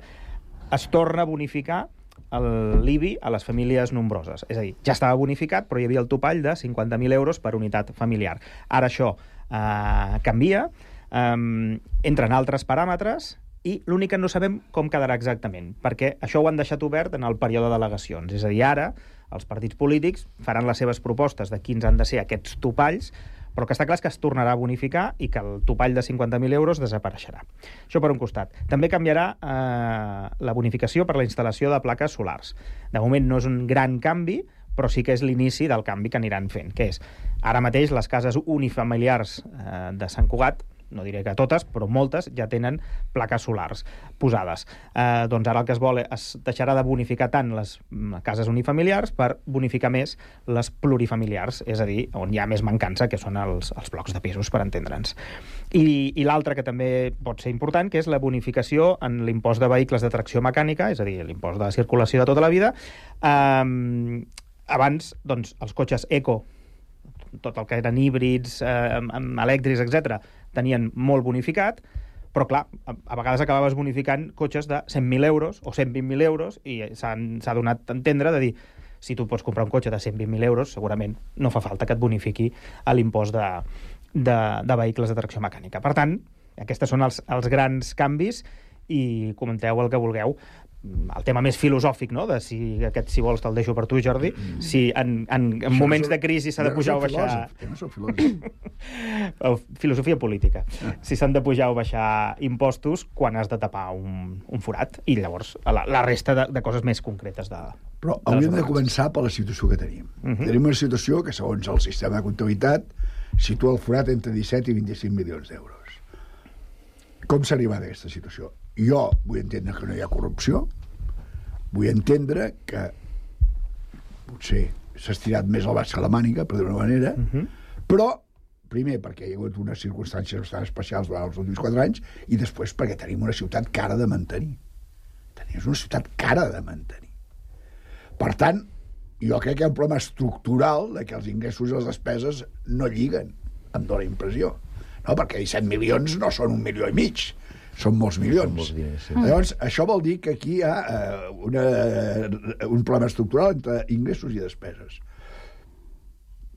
es torna a bonificar l'I B I a les famílies nombroses. És a dir, ja estava bonificat, però hi havia el topall de cinquanta mil euros per unitat familiar. Ara això eh, canvia, eh, entren altres paràmetres, i l'únic que no sabem com quedarà exactament, perquè això ho han deixat obert en el període d'al·legacions. És a dir, ara els partits polítics faran les seves propostes de quins han de ser aquests topalls, però que està clar que es tornarà a bonificar i que el topall de cinquanta mil euros desapareixerà. Això per un costat. També canviarà eh, la bonificació per la instal·lació de plaques solars. De moment no és un gran canvi, però sí que és l'inici del canvi que aniran fent, que és, ara mateix les cases unifamiliars eh, de Sant Cugat, no diré que totes, però moltes ja tenen plaques solars posades. Eh, doncs ara el que es vol es deixarà de bonificar tant les cases unifamiliars per bonificar més les plurifamiliars, és a dir, on hi ha més mancança, que són els, els blocs de pisos, per entendre'ns. I, i l'altre que també pot ser important, que és la bonificació en l'impost de vehicles de tracció mecànica, és a dir, l'impost de circulació de tota la vida. Eh, abans, doncs, els cotxes eco, tot el que eren híbrids, eh, elèctrics, etcètera, tenien molt bonificat, però clar, a, a vegades acabaves bonificant cotxes de cent mil euros o cent vint mil euros i s'ha donat a entendre de dir, si tu pots comprar un cotxe de cent vint mil euros, segurament no fa falta que et bonifiqui a l'impost de, de, de vehicles de tracció mecànica. Per tant, aquests són els, els grans canvis i comenteu el que vulgueu. El tema més filosòfic, no?, de si aquest, si vols, te'l deixo per tu, Jordi, si en, en, en moments de crisi s'ha de pujar o baixar... No soc filòsof. Filosofia política. Si s'han de pujar o baixar impostos quan has de tapar un, un forat, i llavors la, la resta de, de coses més concretes de... Però hauríem de començar per la situació que tenim. Uh -huh. Tenim una situació que, segons el sistema de comptabilitat, situa el forat entre disset i vint-i-cinc milions d'euros. Com s'ha arribat a aquesta situació? Jo vull entendre que no hi ha corrupció, vull entendre que potser s'ha estirat més el baix que la màniga, per dir-ho d'una manera, uh -huh. però, primer, perquè hi ha hagut unes circumstàncies bastant especials durant els últims quatre anys, i després perquè tenim una ciutat cara de mantenir. Tenim una ciutat cara de mantenir. Per tant, jo crec que hi ha un problema estructural de que els ingressos i les despeses no lliguen, em dóna impressió. No? Perquè disset milions no són un milió i mig, són molts milions. Són molts diners, sí. Llavors, això vol dir que aquí hi ha eh, una, un problema estructural entre ingressos i despeses.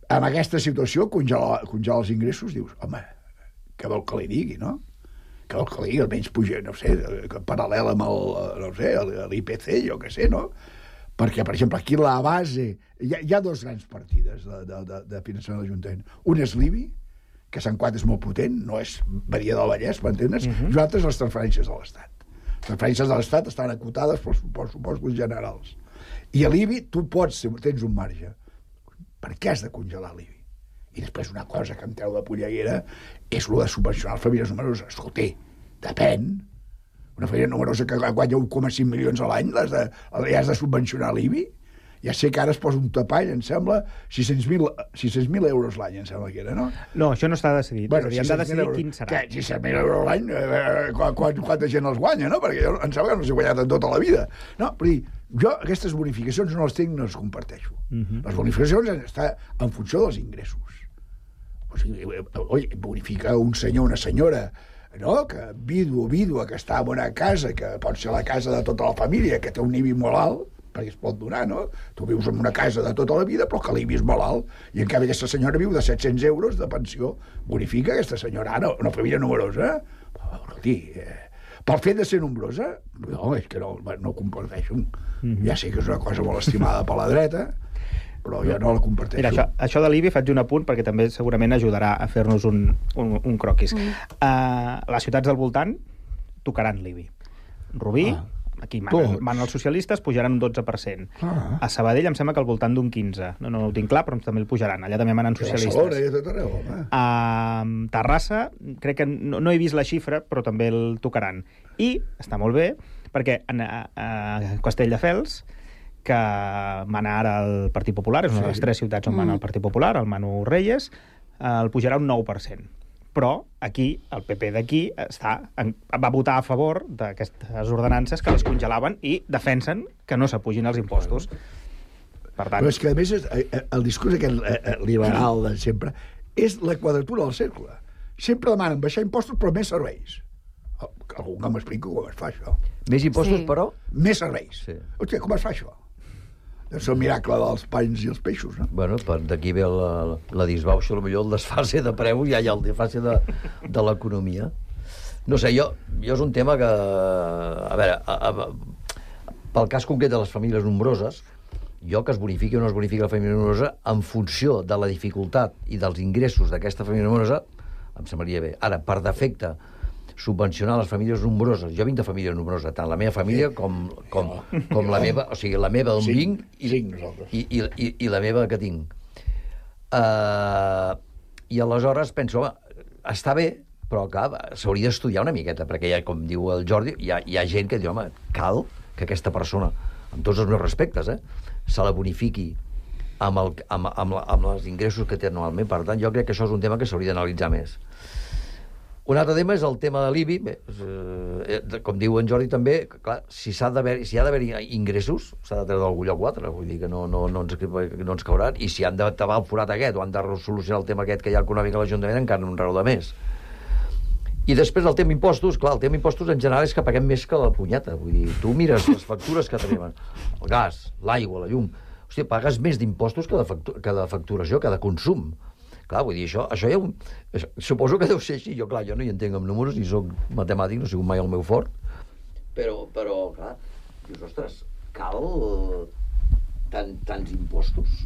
En aquesta situació, congelar, congelar els ingressos, dius, home, què vol que li digui, no? Què vol que li digui? Almenys puja, no sé, paral·lel amb el, no sé, l'I P C, jo què sé, no? Perquè, per exemple, aquí la base... Hi ha, hi ha dos grans partides de, de, de, de finançament de l'Ajuntament. Un és l'I B I, que Sant Cugat és molt potent, no és Badia del Vallès, m'entens? Uh -huh. I l'altre és les transferències de l'Estat. Les transferències de l'Estat estan acotades pels pressupostos generals. I a l'I B I tu pots, tens un marge. Per què has de congelar l'I B I? I després una cosa que em treu de polleguera és el de subvencionar les famílies numeroses. Escolta, depèn. Una família numerosa que guanya un coma cinc milions a l'any, has de, has de subvencionar l'I B I? Ja sé que ara es posa un tapall, em sembla, sis cents mil euros l'any, em sembla que era, no? No, això no està decidit. Bueno, hem de decidir quin serà. Què, sis cents mil euros l'any? Eh, quant, quanta gent els guanya, no? Perquè jo em sembla que no s'ha guanyat en tota la vida. No, però dir, jo aquestes bonificacions no les tinc, no les comparteixo. Uh -huh. Les bonificacions han d'estar en funció dels ingressos. O sigui, oi, bonifica un senyor, una senyora, no? Que vidu o vídua que està en una casa, que pot ser la casa de tota la família, que té un I B I molt alt, perquè es pot donar, no? Tu vius en una casa de tota la vida, però que l'I B I és molt alt, i en canvi aquesta senyora viu de set-cents euros de pensió. Bonifica aquesta senyora, ara, una família numerosa. Escolti, eh, pel fet de ser nombrosa, no, és que no, no ho comparteixo. Mm-hmm. Ja sé que és una cosa molt estimada per la dreta, però jo no la comparteixo. Mira, això, això de l'I B I faig un apunt perquè també segurament ajudarà a fer-nos un, un, un croquis. Mm. Uh, les ciutats del voltant tocaran l'I B I. Rubí, ah. aquí manen, van els socialistes, pujaran un dotze per cent. Ah. A Sabadell em sembla que al voltant d'un quinze. No, no ho tinc clar, però també el pujaran. Allà també manen socialistes. A Barcelona i a tot arreu, home. A Terrassa, crec que no, no he vist la xifra, però també el tocaran. I està molt bé, perquè a, a Castelldefels, que mana ara el Partit Popular, és una de les tres ciutats on mana el Partit Popular, el Manu Reyes, el pujarà un nou per cent. Però aquí, el P P d'aquí està, va votar a favor d'aquestes ordenances que les congelaven i defensen que no s'apugin els impostos. Per tant... Però és que, a més, el discurs aquest liberal de sempre és la quadratura del cercle. Sempre demanen baixar impostos però més serveis. Algú que m'expliqui com es fa això. Més impostos, sí. Però? Més serveis. Sí. Hòstia, com es fa això? Deu ser el miracle dels panys i els peixos, no? Bueno, d'aquí ve la, la disbauxa, potser el desfase de preu, ja hi ha el desfase de, de l'economia. No sé, jo, jo és un tema que... A veure, a, a, pel cas concret de les famílies nombroses, jo que es bonifiqui o no es bonifiqui la família nombrosa, en funció de la dificultat i dels ingressos d'aquesta família nombrosa, em semblaria bé. Ara, per defecte, subvencionar les famílies nombroses. Jo vinc de família nombrosa, tant la meva família com, com, com la meva, o sigui, la meva d'on vinc i, i, i, i, i la meva que tinc. Uh, I aleshores penso, home, està bé, però clar, s'hauria d'estudiar una miqueta, perquè ja, com diu el Jordi, hi ha, hi ha gent que diu, home, cal que aquesta persona, amb tots els meus respectes, eh, se la bonifiqui amb, el, amb, amb, amb els ingressos que té anualment. Per tant, jo crec que això és un tema que s'hauria d'analitzar més. Un altre tema és el tema de l'I B I. Eh, com diu en Jordi també, clar, si s'ha d'haver, si ha d'haver ingressos, s'ha de treure d'algun lloc o altre, vull dir que no, no, no, ens, no ens cauran, i si han de tabar el forat aquest o han de solucionar el tema aquest que hi ha econòmic a l'Ajuntament, encara no un raó de més. I després el tema impostos, clar, el tema impostos en general és que paguem més que la punyeta, vull dir, tu mires les factures que tenim, el gas, l'aigua, la llum, hòstia, pagues més d'impostos que de, factu que de facturació, que de consum. Clar, vull dir, això, això ja... Un, això, suposo que deu ser així. Jo, clar, jo no hi entenc amb números, ni soc matemàtic, no he sigut mai el meu fort. Però, però clar, dius, ostres, cal tant, tants impostos?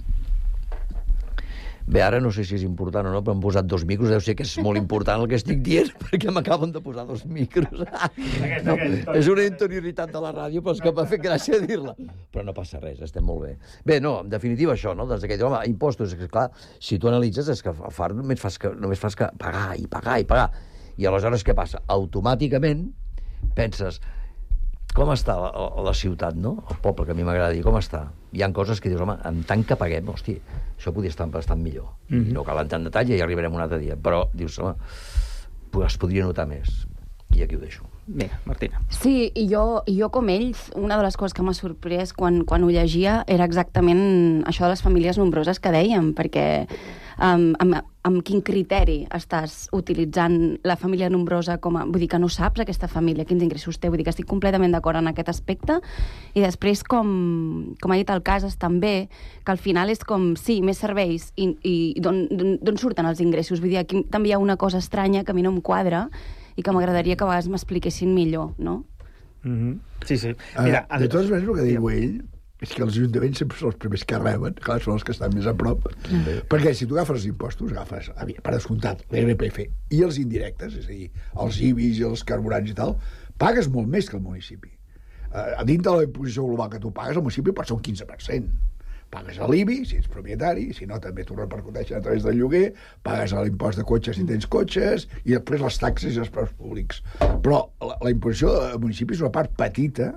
Bé, ara no sé si és important o no, però han posat dos micros, deu ser que és molt important el que estic dient, perquè m'acaben de posar dos micros. No, és una interioritat de la ràdio, però és que m'ha fet gràcia dir-la. Però no passa res, estem molt bé. Bé, no, en definitiva això, no? Des d'aquell, home, impostos, és que, clar, si tu analitzes, és que far només fas que, només fas que pagar i pagar i pagar. I aleshores què passa? Automàticament penses, com està la, la ciutat, no? El poble, que a mi m'agrada dir, com està? Hi ha coses que dius, home, en tant que paguem, hosti, això podria estar bastant millor. Mm-hmm. No cal entrar en detall, ja hi arribarem un altre dia. Però dius, home, es podria notar més. I aquí ho deixo. Vinga, Martina. Sí, i jo, i jo com ells, una de les coses que m'ha sorprès quan, quan ho llegia era exactament això de les famílies nombroses que dèiem, perquè um, amb, amb quin criteri estàs utilitzant la família nombrosa com a... Vull dir que no saps aquesta família, quins ingressos té, vull dir que estic completament d'acord en aquest aspecte, i després, com, com ha dit el Casas, també, que al final és com, sí, més serveis, i, i d'on surten els ingressos? Vull dir, aquí també hi ha una cosa estranya que a mi no em quadra, i que m'agradaria que a vegades m'expliquessin millor, no? Mm-hmm. Sí, sí. Mira, uh, de totes maneres, el que diu ell és que els ajuntaments sempre són els primers que reben, clar, són els que estan més a prop, mm. perquè si tu agafes els impostos, agafes, per descomptat, l'I R P F i els indirectes, és a dir, els I B Is i els carburants i tal, pagues molt més que el municipi. Uh, a dintre de la imposició global que tu pagues, el municipi pot ser un quinze per cent. Pagues a l'I B I, si ets propietari, si no també t'ho repercuteixen a través del lloguer, pagues l'impost de cotxes si tens cotxes, i després les taxes i els preus públics. Però la, la imposició del municipi és una part petita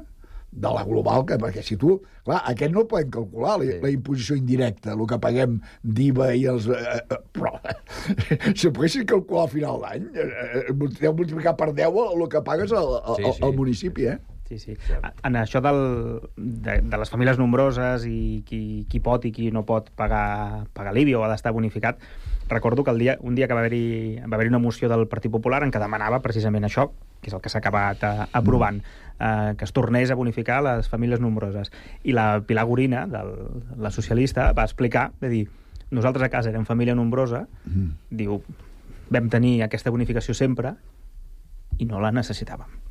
de la global, que, perquè si tu... Clar, aquest no el podem calcular, la, sí. la imposició indirecta, el que paguem d'I V A i els... Eh, eh, però, si ho poguessis calcular al final d'any, eh, deu multiplicar per deu el que pagues al, al, sí, sí. al municipi, eh? Sí, sí. En això del, de, de les famílies nombroses i qui, qui pot i qui no pot pagar, pagar l'I B I o ha d'estar bonificat, recordo que el dia, un dia que va haver-hi va haver una moció del Partit Popular en què demanava precisament això, que és el que s'ha acabat eh, aprovant, eh, que es tornés a bonificar les famílies nombroses. I la Pilar Gorina, del, la socialista, va explicar, va dir, nosaltres a casa érem família nombrosa, mm. diu, vam tenir aquesta bonificació sempre i no la necessitàvem.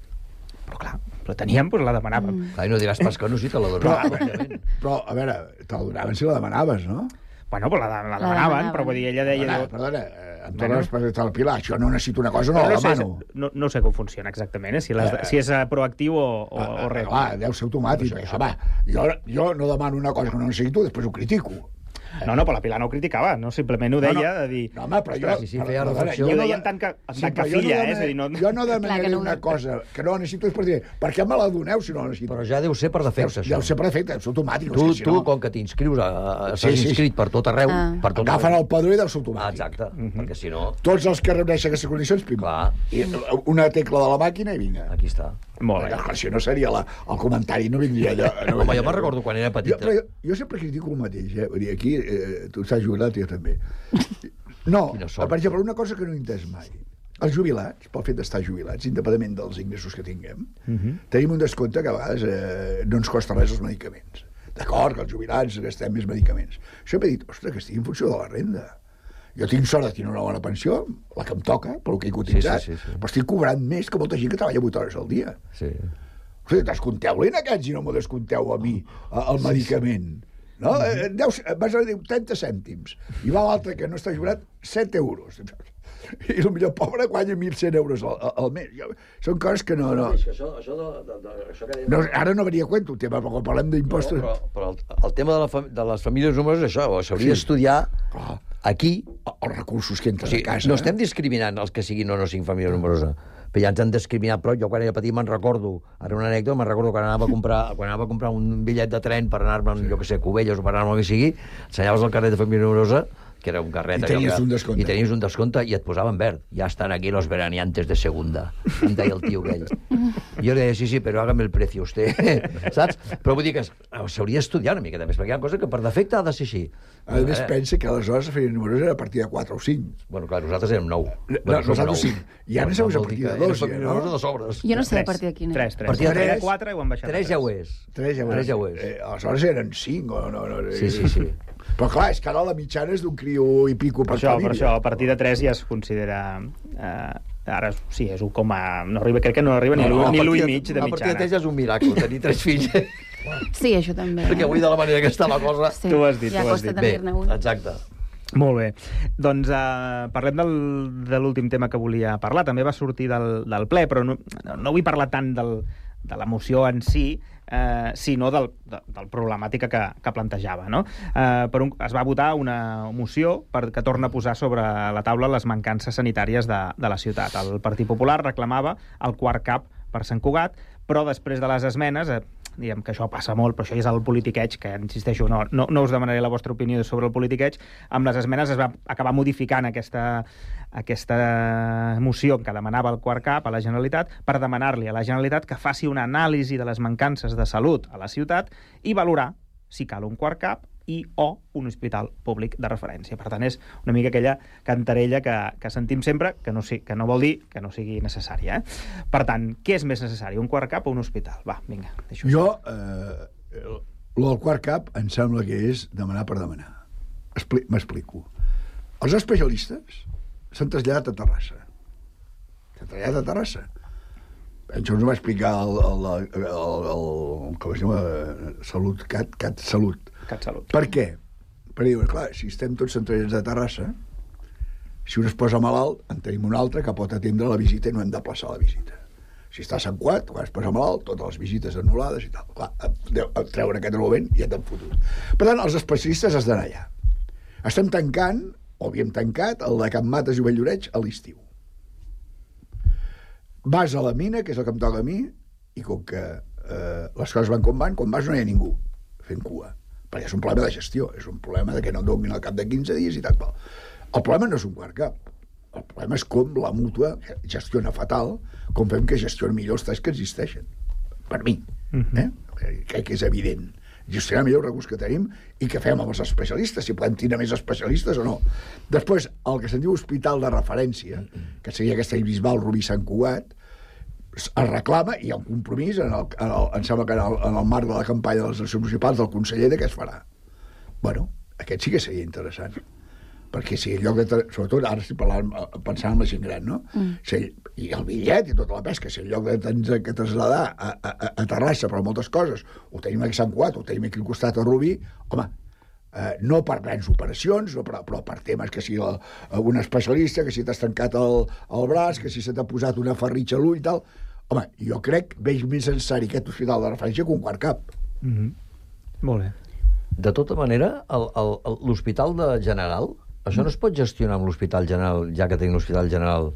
Però clar, la teníem, doncs la demanàvem. Mm. Clar, i no diràs pas que no, si te la donaven. Però, però, a veure, te la donaven si la demanaves, no? Bueno, pues la, la, la demanaven, però vull dir, ella deia... Perdona, perdona amb tota la responsabilitat del Pilar, això no necessito una cosa, no Però la no sé, demano. no, no sé com funciona exactament, eh? si, les, Eh. si és eh, proactiu o, o, o res. Clar, deu ser automàtic. Això, va, jo, jo no demano una cosa que no necessito, després ho critico. No, no, però la Pilar no ho criticava, no? Simplement ho deia, No, no. de dir... No, home, però jo... Sí, sí, feia perdona, reflexió. jo I ho no deia de- en tant que, en Sí, tant que però jo no filla, eh? demano- És a dir, no... Jo no Clar demanaré que no ho- una cosa que no necessito, és per dir, per què me la doneu si no la necessito? Però ja deu ser per defecte, això. Deu ser per defecte, és automàtic. Tu, és que si tu no, com que t'inscrius, a- a- Sí, estàs sí, inscrit sí. per tot arreu, Ah. per tot agafen arreu. el padró i deu ser automàtic. Ah, exacte, perquè si no... Tots els que reuneixen aquestes condicions, pim. Clar. I una tecla de la màquina i vinga. Aquí està. Molt bé. Perquè, si no seria la, el comentari, no vindria allò. No Home, vindria jo me'n recordo quan era Jo, petita. però jo, jo sempre critico el mateix, eh? Vull dir, aquí, eh, tu estàs jubilat, jo també. No, Quina sort. per exemple, una cosa que no he entès mai. Els jubilats, pel fet d'estar jubilats, independentment dels ingressos que tinguem, tenim un descompte que a vegades eh, no ens costa res els medicaments. D'acord, que els jubilats gastem més medicaments. Això m'he dit, ostres, que estigui en funció de la renda. Jo tinc sort de tenir una bona pensió, la que em toca, pel que he cotitzat, Sí, sí, sí, sí. però estic cobrant més que molta gent que treballa vuit hores al dia. Sí. O sigui, descompteu-li en aquests i no m'ho descompteu a mi, a- el medicament. No? Eh, deu, vas a dir trenta cèntims. I va l'altre que no està jubilat, set euros. I el millor pobre guanya mil cent euros al, al mes. Jo, són coses que no... no, Això, això, de, de, de, això que dèiem... no ara no venia a cuento el tema, però quan parlem d'impostos... No, però, però el, el tema de, la, fam- de les famílies nombroses és això, s'hauria Sí. d'estudiar Clar. aquí. Els recursos que entren O sigui, a casa... no estem discriminant els que siguin o no siguin família nombrosa, però ja ens han discriminat prou. Jo quan era petit me'n recordo, ara una anècdota, me'n recordo quan anava a comprar, quan anava a comprar un bitllet de tren per anar-me, sí. jo que sé, a Cubelles o per anar-me el que sigui, ensenyaves el carnet de família nombrosa, que era un carret... I allò tenies que, un descompte. I tenies un descompte i et posaven verd. Ja estan aquí los veraneantes de segunda, em deia el tio aquell. I jo li deia, sí, sí, però hágame el precio usted, saps? Però vull dir que s'hauria d'estudiar una miqueta més, perquè hi ha coses que per defecte ha de ser així. A més, pensa que aleshores la família nombrosa era a partir de quatre o cinc. Bueno, clar, nosaltres érem nou. No, Bueno, som nosaltres nou. cinc. I ara Bueno, som a vol dir partir que de dos, érem ja, família no? nombrosa de sobres. Jo no sé Tres. a partir de quina. Tres, tres. Partir de Era tres. quatre i ho han baixat a Tres tres. ja ho és. Tres ja ho és. Tres ja ho és. Eh, aleshores eren cinc, o no? no Sí, sí, sí. Però clar, és que ara la mitjana és d'un criu i pico Per per això, família. per això, a partir de tres ja es considera... Eh, ara sí, és un coma... No arriba, crec que no arriba ni No, no, l'u a ni l'u i partir mig de A partir de mitjana. tres ja és un miracle, tenir tres fills. Sí, això també. Perquè avui de la manera que està la cosa... Sí, Tu ho has dit, ja tu ho has costa dit. Bé, tenir-ne un. exacte. Molt bé. Doncs uh, parlem del, de l'últim tema que volia parlar. També va sortir del, del ple, però no, no vull parlar tant del, de la moció en si, eh, sinó del, de, del problemàtica que, que plantejava. No? Eh, per un, es va votar una moció per, que torna a posar sobre la taula les mancances sanitàries de, de la ciutat. El Partit Popular reclamava el quart cap per Sant Cugat, però després de les esmenes... Eh, diguem que això passa molt, però això és el politiqueig, que insisteixo, no, no, no us demanaré la vostra opinió sobre el politiqueig. Amb les esmenes es va acabar modificant aquesta, aquesta moció que demanava el quart cap a la Generalitat per demanar-li a la Generalitat que faci una anàlisi de les mancances de salut a la ciutat i valorar si cal un quart cap i o un hospital públic de referència. Per tant, és una mica aquella cantarella que, que sentim sempre, que no, sí, que no vol dir que no sigui necessària. Eh? Per tant, què és més necessari, un quart cap o un hospital? Va, vinga, deixo. Jo, eh, el, el del quart cap em sembla que és demanar per demanar. Expli- M'explico. Els especialistes s'han traslladat a Terrassa. S'han traslladat a Terrassa. Això ens ho va explicar el, el, el, el, el com es diu, eh, Salut, Cat, Cat Salut. Cat Salut. Per què? Perquè diuen, clar, si estem tots centrats a Terrassa, si un es posa malalt, en tenim un altre que pot atendre la visita i no hem de plaçar la visita. Si està a Sant Cugat, quan es posa malalt, totes les visites anul·lades i tal. Clar, a treure aquest argument i ja t'han fotut. Per tant, els especialistes has d'anar allà. Estem tancant, o havíem tancat, el de Can Mates i Valldoreix a l'estiu. Vas a la mina, que és el que em toca a mi, i com que eh, les coses van com van, quan vas no hi ha ningú fent cua. Perquè és un problema de gestió, és un problema de que no et donin al cap de quinze dies i tal. El problema no és un quart cap. El problema és com la mútua gestiona fatal, com fem que gestioni millor els talls que existeixen. Per mi. Eh? Crec que és evident. Gestionar millor els recursos que tenim i què fem amb els especialistes, si podem tenir més especialistes o no. Després, el que se'n diu hospital de referència, que seria aquesta Bisbal, Rubí, Sant Cugat, es reclama, i hi ha un compromís, en el, en el, em sembla que en el, en el marc de la campanya de les eleccions municipals del conseller, de què es farà. Bueno, aquest sí que seria interessant. Perquè si en lloc de... Sobretot ara estic parlant, pensant en la gent gran, no? Mm. Si, i el bitllet i tota la pesca, si en lloc de tenir que traslladar a, a, a Terrassa per moltes coses, ho tenim aquí a Sant Cugat, ho tenim aquí al costat a Rubí, home, Eh, no per grans operacions, no, però, però per temes que si el, un especialista, que si t'has tancat el, el braç, que si se t'ha posat una ferritxa a l'ull i tal. Home, jo crec que veig més necessari aquest hospital de referència que un quart cap. Mm-hmm. Molt bé. De tota manera, l'Hospital de General, això no es pot gestionar amb l'Hospital General, ja que tenim l'Hospital General,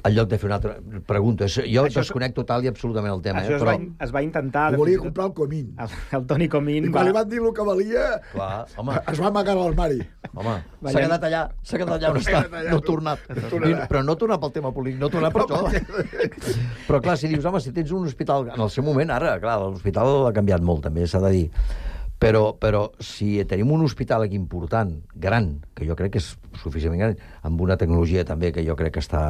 en lloc de fer una altra pregunta. Jo això desconec total i absolutament el tema. Això eh? es, però... va, es va intentar... Ho volia comprar el Comín. El, el Toni Comín... I quan va... li van dir el que valia, clar, home. Es va amagar a l'armari. Home, s'ha quedat allà, s'ha quedat allà on està, no ha tornat. I, però no tornar pel tema polític, no tornar per això. Però clar, si dius, home, si tens un hospital... En el seu moment, ara, clar, l'hospital ha canviat molt, també, s'ha de dir. Però, però si tenim un hospital aquí important, gran, que jo crec que és suficientment gran, amb una tecnologia també que jo crec que està...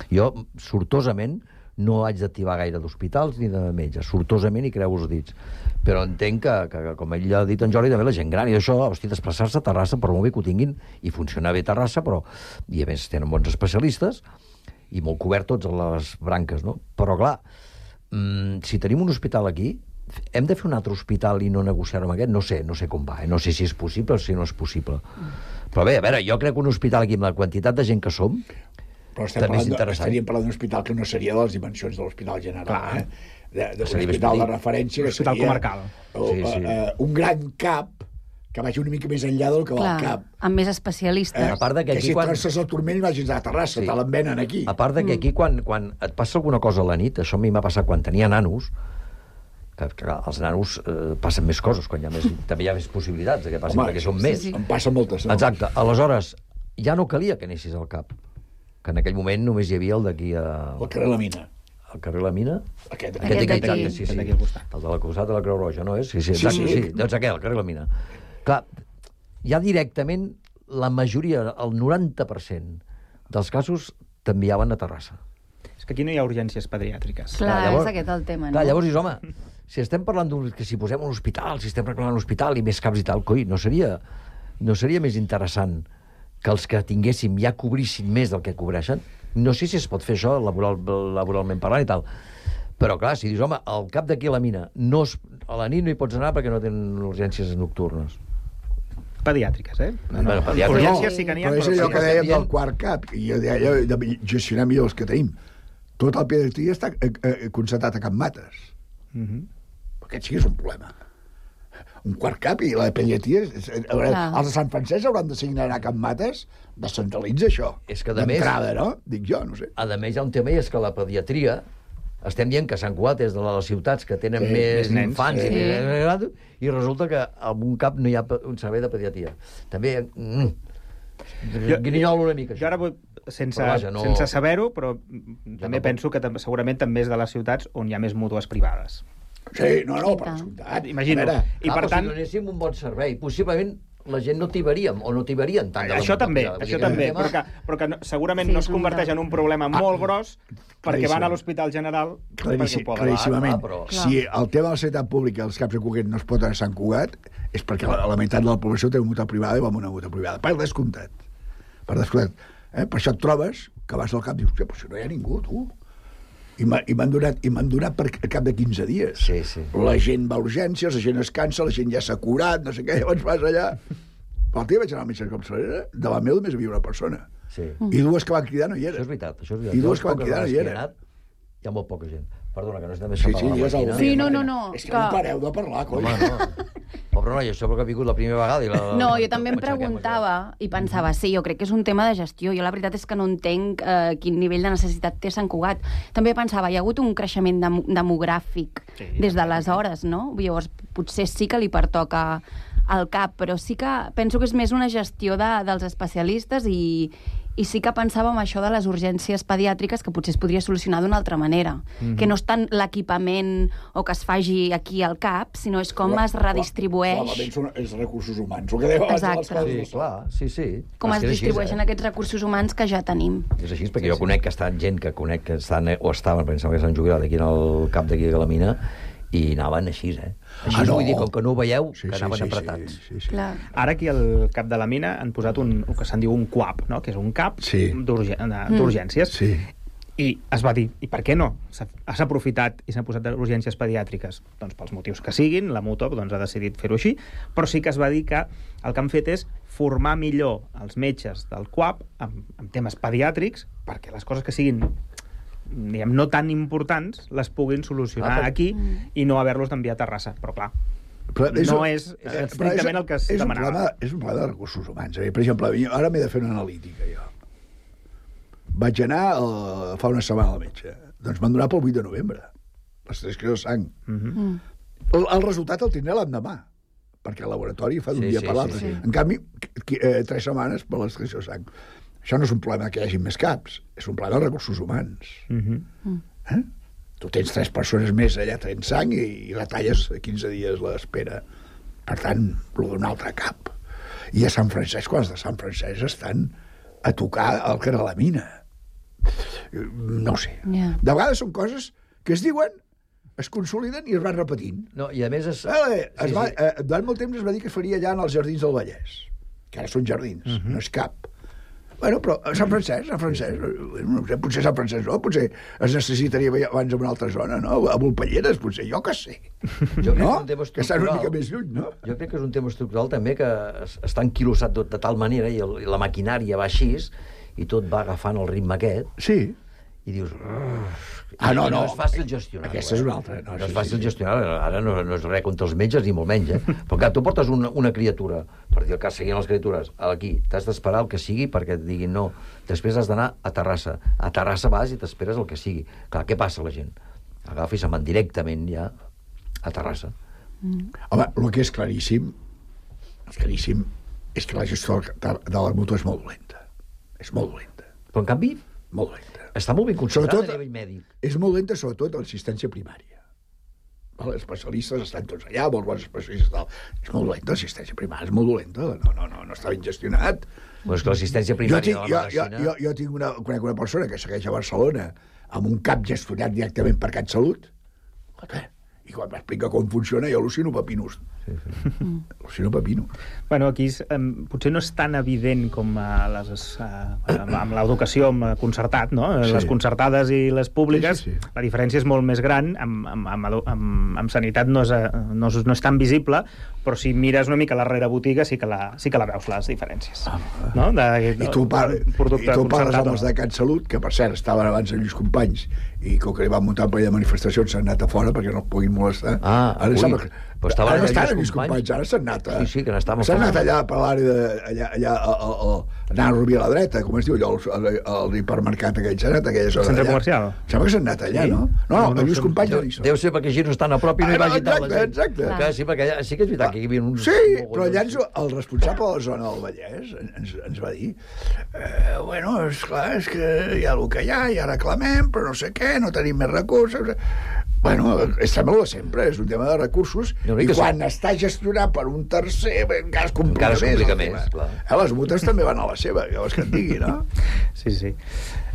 Jo, sortosament, no haig d'activar gaire d'hospitals ni de metges, sortosament, i creu els dits. Però entenc que, que, com ell ha dit en Jordi, també la gent gran, i això, hosti, desplaçar-se a Terrassa, per molt bé que ho tinguin, i funcionar bé a Terrassa, però, i a més tenen bons especialistes, i molt cobert tots les branques, no? Però, clar, mmm, si tenim un hospital aquí, hem de fer un altre hospital i no negociar-ho amb aquest? No sé, no sé com va, eh? No sé si és possible o si no és possible. Però bé, a veure, jo crec que un hospital aquí, amb la quantitat de gent que som, però estem parlant, estaríem parlant d'un hospital que no seria de les dimensions de l'Hospital General. Clar. Eh? De, de, un hospital de referència que seria comarcal. O, sí, sí. Uh, un gran cap que vagi una mica més enllà del que va al cap. Amb més especialistes. Eh, a part de que, que si quan... trosses el turmell vagis a Terrassa, sí. Te l'envenen aquí. A part de que aquí, quan, quan et passa alguna cosa a la nit, això a mi m'ha passat quan tenia nanos, que, que els nanos eh, passen més coses, quan hi ha més, també hi ha més possibilitats de que passin, home, perquè són sí, més. Sí. Em passen moltes. No? Exacte. Aleshores, ja no calia que anessis al cap, que en aquell moment només hi havia el d'aquí a... El carrer La Mina. El carrer La Mina? Aquest, aquest d'aquí, d'aquí. Sí, sí. El de la costat de la Creu Roja, no és? Sí, sí, exacte, sí, sí. sí. Doncs aquell, el carrer La Mina. Clar, ja directament la majoria, el noranta per cent dels casos t'enviaven a Terrassa. És que aquí no hi ha urgències pediàtriques. Clar, clar llavors, és aquest el tema, no? Clar, llavors dius, home, si estem parlant d'un... que si posem un hospital, si estem reclamant un hospital i més caps i tal, coi, no seria, no seria més interessant que els que tinguéssim ja cobrissin més del que cobreixen? No sé si es pot fer això laboral, laboralment parlant i tal, però clar, si dius, home, al cap d'aquí a la mina, no es, a la nit no hi pots anar perquè no tenen urgències nocturnes. Pediàtriques, eh? No, no, no, pediàtriques. Urgències sí que n'hi ha, però... Però és allò que dèiem del quart cap, i jo deia de gestionar millor els que tenim. Tot el pediatria està eh, eh, concertat a Can Mates. Mm-hmm. Aquest sí que és un problema. Un quart cap i la pediatria... Veure, els de Sant Francesc hauran de signar a Can Mates, descentralitza això. És que de més... D'entrada, no? Dic jo, no sé. A més, hi ha un tema, i és que la pediatria... Estem dient que Sant Cugat és de les ciutats que tenen sí, més, més infants sí. i, més, i resulta que en un cap no hi ha un servei de pediatria. També... Mm, jo, guinyolo una mica. Jo ara vull, sense, vaja, no... sense saber-ho, però jo també no penso que tam segurament també és de les ciutats on hi ha més mútues privades. Sí, no, no, per descomptat. Imagino. I ah, per tant... si donéssim un bon servei, possiblement la gent no tibaríem, o no tibarien tant. Això també, això també, però que, però que no, segurament sí, no es converteix en un problema ah, molt gros perquè van a l'Hospital General Claríssim, perquè ho poden. Claríssimament. Ah, però... Si el tema de la sanitat pública als caps de Cugat no es pot anar a Sant Cugat és perquè la, la meitat de la població té una mútua privada i va amb una mútua privada. Per descomptat. Per descomptat. Eh? Per això et trobes que vas al cap i dius, però si no hi ha ningú, tu. I m'han donat, i m'han donat per cap de quinze dies. Sí, sí. La gent va a urgències, la gent es cansa, la gent ja s'ha curat, no sé què, llavors vas allà. Però el dia vaig anar al metge de capçalera, davant meu només hi havia una persona. Sí. I dues que van cridar no hi eren. Això és veritat, això és veritat. I dues que van cridar no hi eren. Hi ha molt poca gent. Perdona, que no estem més sí, a sí, parlar. Sí, sí, no, no, no. És que, que... no pareu de parlar, coi. Home, no. Pobre noi, això perquè ha vingut la primera vegada. I la... No, jo també em preguntava i pensava, sí, jo crec que és un tema de gestió. Jo la veritat és que no entenc eh, quin nivell de necessitat té Sant Cugat. També pensava, hi ha hagut un creixement dem demogràfic sí, des d'aleshores, no? Llavors, potser sí que li pertoca al cap, però sí que penso que és més una gestió de, dels especialistes i, i sí que pensava en això de les urgències pediàtriques que potser es podria solucionar d'una altra manera. Mm-hmm. Que no és tant l'equipament o que es faci aquí al cap, sinó és com clar, es redistribueix... Clar, són els recursos humans, el que deia abans de les coses. Sí, clar, sí, sí. Com es distribueixen així, eh? Aquests recursos humans que ja tenim. És així, perquè sí, jo conec que estan gent que conec que estan, o estaven, pensava que s'han jubilat aquí en el cap d'aquí de la mina, i anaven així, eh? Així ah, no. Vull dir, com que no ho veieu, sí, que anaven sí, sí, apretats. Sí, sí, sí. Ara aquí al cap de la mina han posat un, el que se'n diu un C U A P, no? Que és un cap sí. d'urgències. Sí. I es va dir, i per què no? S'ha aprofitat i s'han posat urgències pediàtriques. Doncs pels motius que siguin, la Mutuo doncs, ha decidit fer-ho així, però sí que es va dir que el que han fet és formar millor els metges del C U A P amb, amb temes pediàtrics perquè les coses que siguin diguem, no tan importants les puguin solucionar ah, aquí i no haver-los d'enviar a Terrassa. Però clar, però és, no és eh, estrictament és, el que es és demanava. Un problema, és un problema de recursos humans. Per exemple, ara m'he de fer una analítica, jo. Vaig anar uh, fa una setmana al metge. Doncs m'han donat pel vuit de novembre. Les transcripció de sang. Mm-hmm. el, el resultat el tindré l'endemà, perquè el laboratori fa d'un sí, dia sí, per l'altre. Sí, sí. En canvi, eh, tres setmanes per la transcripció de sang. Això no és un problema que hi hagi més caps, és un problema de recursos humans. Mm-hmm. Eh? Tu tens tres persones més allà traient sang i, i retalles quinze dies l'espera. Per tant, el d'un altre cap. I a Sant Francesc, quan els de Sant Francesc estan a tocar el que era la mina. No ho sé. Yeah. De vegades són coses que es diuen, es consoliden i es van repetint. No, i a més es... Eh, es sí, va, sí. Eh, durant molt temps es va dir que es faria allà en els Jardins del Vallès, que ara són jardins, uh-huh. no és cap. Bueno, però a Sant Francesc, Sant Francesc, no sé, potser Sant Francesc no, potser es necessitaria abans en una altra zona, no? A Volpelleres, potser, jo que sé. Jo crec no? que, és un tema que estan una mica més lluny, no? Jo crec que és un tema estructural també que està enquilossat de, de tal manera i, el, i la maquinària va així i tot va agafant el ritme aquest. Sí. I dius... Ah, no, no. No és fàcil gestionar. Aquesta és una altra. No, no és fàcil gestionar. Ara no, no és res contra els metges ni molt menys, eh? Però clar, tu portes una, una criatura, per dir el cas, seguint les criatures, aquí, t'has d'esperar el que sigui perquè et diguin no. Després has d'anar a Terrassa. A Terrassa vas i t'esperes el que sigui. Clar, què passa la gent? Agafa i se'n van directament ja a Terrassa. Mm. Home, el que és claríssim, és claríssim, és que la gestió de la Mutuo és molt dolenta. És molt dolenta. Però en canvi... Molt dolenta. Està molt ben considerat a nivell mèdic. És molt lenta, sobretot, a l'assistència primària. Els especialistes estan tots allà, molts bons especialistes. Tal. És molt dolenta, l'assistència primària, és molt dolenta. No, no, no, no està ben gestionat. Però és que l'assistència primària jo tinc, de la medicina... Jo, jo, jo tinc una, conec una persona que segueix a Barcelona amb un cap gestionat directament per CatSalut. I quan m'explica com funciona, jo al·lucino pepinos. Sí, sí. Al·lucino pepino. Bueno, aquí um, potser no és tan evident com uh, les, uh, amb l'educació concertat, no? Sí. Les concertades i les públiques, sí, sí, sí. La diferència és molt més gran. Amb, amb, amb, amb, amb sanitat no és, no, és, no és tan visible, però si mires una mica la rerebotiga sí que la, sí que la veus, les diferències. Ah, no? De, I tu, par i tu parles amb els de CatSalut, que per cert estaven abans amb Lluís Companys, i com que li van muntar un parell de manifestacions s'han anat a fora perquè no el puguin molestar. Ah, ara ui, sembla... però estaven ara no allà Lluís Companys, ara s'han anat a... Sí, sí, que n'estàvem... S'han anat allà per l'àrea de... allà, allà a, a, a, anar a Rubí a la dreta, com es diu allò, l'hipermercat aquell, s'han anat a aquella zona. Centre comercial? Sembla que s'han anat allà, sí? no? No, no, no Lluís Companys no hi són. Deu ser perquè així no estan a prop i no hi vagi tant la gent. Exacte, exacte. Sí, perquè allà, sí que és veritat que hi havia uns... Sí, però allà ens, el responsable de la zona del Vallès ens, ens va dir eh, bueno, esclar, és que hi ha el que hi ha, ja reclamem, però no sé què, no tenim més recursos... Bueno, és també de sempre, és un tema de recursos, no, i quan sí. està gestionat per un tercer, encara es complica encara es complica més. més clar. Eh, les Mutuos també van a la seva, que vols que et digui, no? Sí, sí.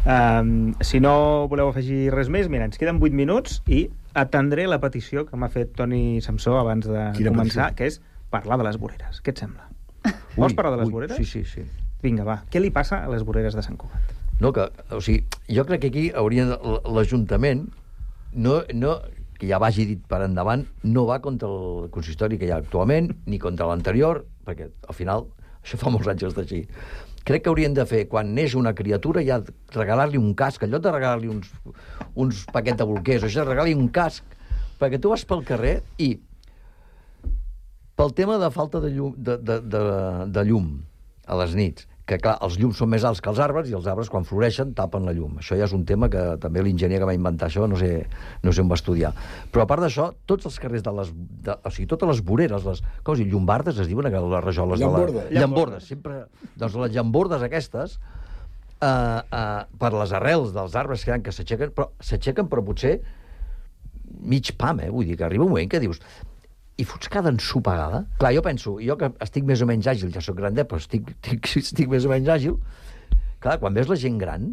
Um, si no voleu afegir res més, mira, ens queden vuit minuts i atendré la petició que m'ha fet Toni Samsó abans de Quina començar, petició? Que és parlar de les voreres. Què et sembla? Ui, Vols parlar de les ui, voreres? Sí, sí, sí. Vinga, va. Què li passa a les voreres de Sant Cugat? No, que, o sigui, jo crec que aquí hauria l'Ajuntament no, no, que ja vagi dit per endavant, no va contra el consistori que hi ha actualment, ni contra l'anterior, perquè al final això fa molts anys que està així. Crec que haurien de fer, quan neix una criatura, ja regalar-li un casc, en lloc de regalar-li uns, uns paquets de bolquers, això regalar-li un casc, perquè tu vas pel carrer i pel tema de falta de llum, de, de, de, de llum a les nits, que clar, els llums són més alts que els arbres i els arbres quan floreixen tapen la llum. Això ja és un tema que també l'enginyer que va inventar això no sé, no sé on va estudiar. Però a part d'això, tots els carrers de les... De, o sigui, totes les voreres, les... Com es diu? Llombardes es diuen, les rajoles Llamborda. de la... Llambordes. Sempre... Doncs les llambordes aquestes, eh, eh, per les arrels dels arbres que, que s'aixequen, però s'aixequen però potser mig pam, eh? Vull dir que arriba un moment que dius... i fots cada ensopegada. Clar, jo penso, jo que estic més o menys àgil, ja soc grandet, però estic, estic, estic més o menys àgil, clar, quan veus la gent gran,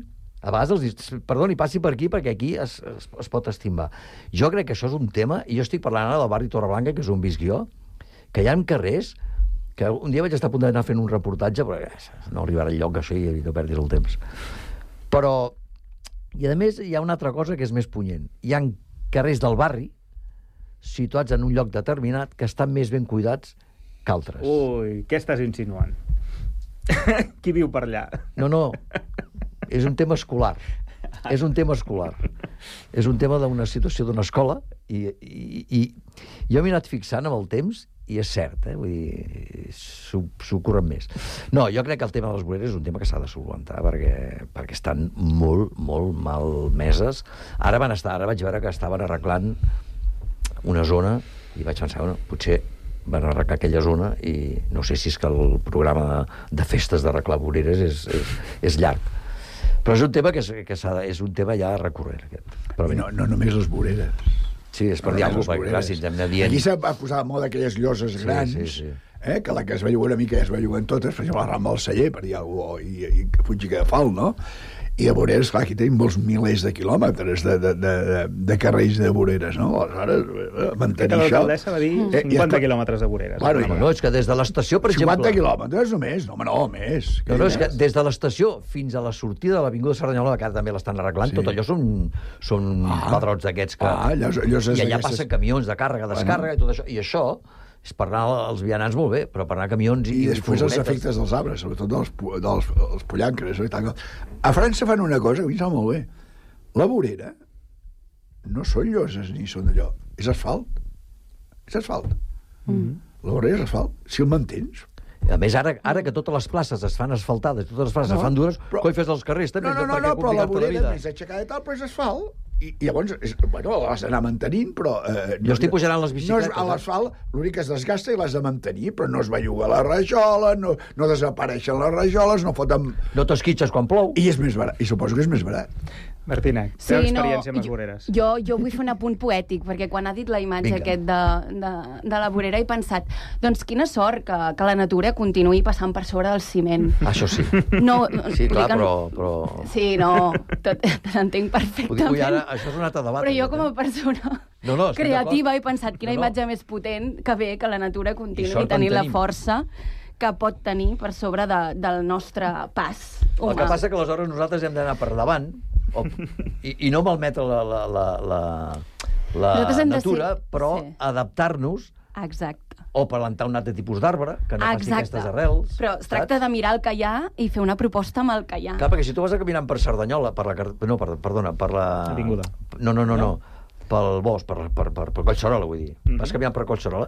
a vegades els dius, perdoni, passi per aquí, perquè aquí es, es, es pot estimbar. Jo crec que això és un tema, i jo estic parlant ara del barri Torreblanca, que és on visc jo, que hi ha carrers, que un dia vaig estar a punt d'anar fent un reportatge, però no arribarà al lloc, això, i no perdis el temps. Però I, a més, hi ha una altra cosa que és més punyent. Hi ha carrers del barri, situats en un lloc determinat, que estan més ben cuidats que altres. Ui, què estàs insinuant? Qui viu per allà? No, no, és un tema escolar. És un tema escolar. És un tema d'una situació d'una escola i, i, i jo m'he anat fixant amb el temps i és cert, eh? Vull dir, s'ho curren més. No, jo crec que el tema de les voreres és un tema que s'ha de solventar perquè, perquè estan molt, molt malmeses. Ara van estar, ara vaig veure que estaven arreglant una zona i vaig pensar, bueno, potser van arreglar aquella zona i no sé si és que el programa de, de festes d'arreglar voreres és, és, és llarg. Però és un tema que, és, que s'ha de, és un tema ja recurrent, aquest. Però I no, no només les voreres. Sí, és per dir alguna cosa, perquè clar, si ens hem de dient... Aquí s'ha posat de moda aquelles lloses grans, sí, sí, sí. Eh, que la que es va jugar una mica es va jugar en totes, per exemple, la Rambla del Celler, per dir alguna cosa, i, i Fuig i Cadafal, no? I a voreres, clar, aquí tenim molts milers de quilòmetres de, de, de, de carrers de voreres, no? Aleshores, mantenir això... L'alcaldessa va dir cinquanta quilòmetres de voreres. Bueno, no, no, és que des de l'estació, per exemple... cinquanta quilòmetres només? No, home, no, més. No, no, és que des de l'estació fins a la sortida de l'Avinguda Cerdanyola, que ara també l'estan arreglant, sí. Tot allò són, són ah. pedrots d'aquests que... Ah, allò, allò I allà passen camions de càrrega, descàrrega, bueno. I tot això. I això és per anar als vianants molt bé, però per anar a camions i... I després els efectes dels arbres, sobretot dels, dels, dels pollancres. I tal. A França fan una cosa que a mi em sembla molt bé. La vorera no són lloses ni són allò. És asfalt. És asfalt. Mm-hmm. La vorera és asfalt. Si el mantens... A més, ara, ara que totes les places es fan asfaltades, totes les places no, es fan dures, però... coi fes els carrers també. No, no, no, no però la vorera és aixecada i tal, però és asfalt. I, i llavors, és, bueno, l'has d'anar mantenint, però... Eh, jo estic pujant les bicicletes. No, a l'asfalt l'únic que es desgasta i l'has de mantenir, però no es belluga la rajola, no, no desapareixen les rajoles, no foten... No t'esquitxes quan plou. I és més barat, i suposo que és més barat. Martina, sí, teva experiència no, amb les voreres. Jo, jo vull fer un apunt poètic, perquè quan ha dit la imatge Vinga. aquest de, de, de la vorera he pensat, doncs quina sort que, que la natura continuï passant per sobre del ciment. Això sí. No, sí, clar, que... però, però... Sí, no, tot, te l'entenc perfectament. Vull dir, ara, això és un altre debat. Però jo com a persona no, no, creativa he pensat quina no, no. imatge més potent que bé que la natura continuï tenint la força que pot tenir per sobre de, del nostre pas humà. El que passa que aleshores nosaltres hem d'anar per davant o, i, i no malmetre la, la, la, la, la natura, ser... però sí. adaptar-nos Exacte. o plantar un altre tipus d'arbre que no faci aquestes arrels. Però es tracta saps? de mirar el que hi ha i fer una proposta amb el que hi ha. Clar, perquè si tu vas a caminant per Cerdanyola, per la... No, per, perdona, per la... Avinguda. No, no, no, no. no. pel bosc, per, per, per, per Collserola, vull dir. Mm-hmm. Vas caminant per Collserola.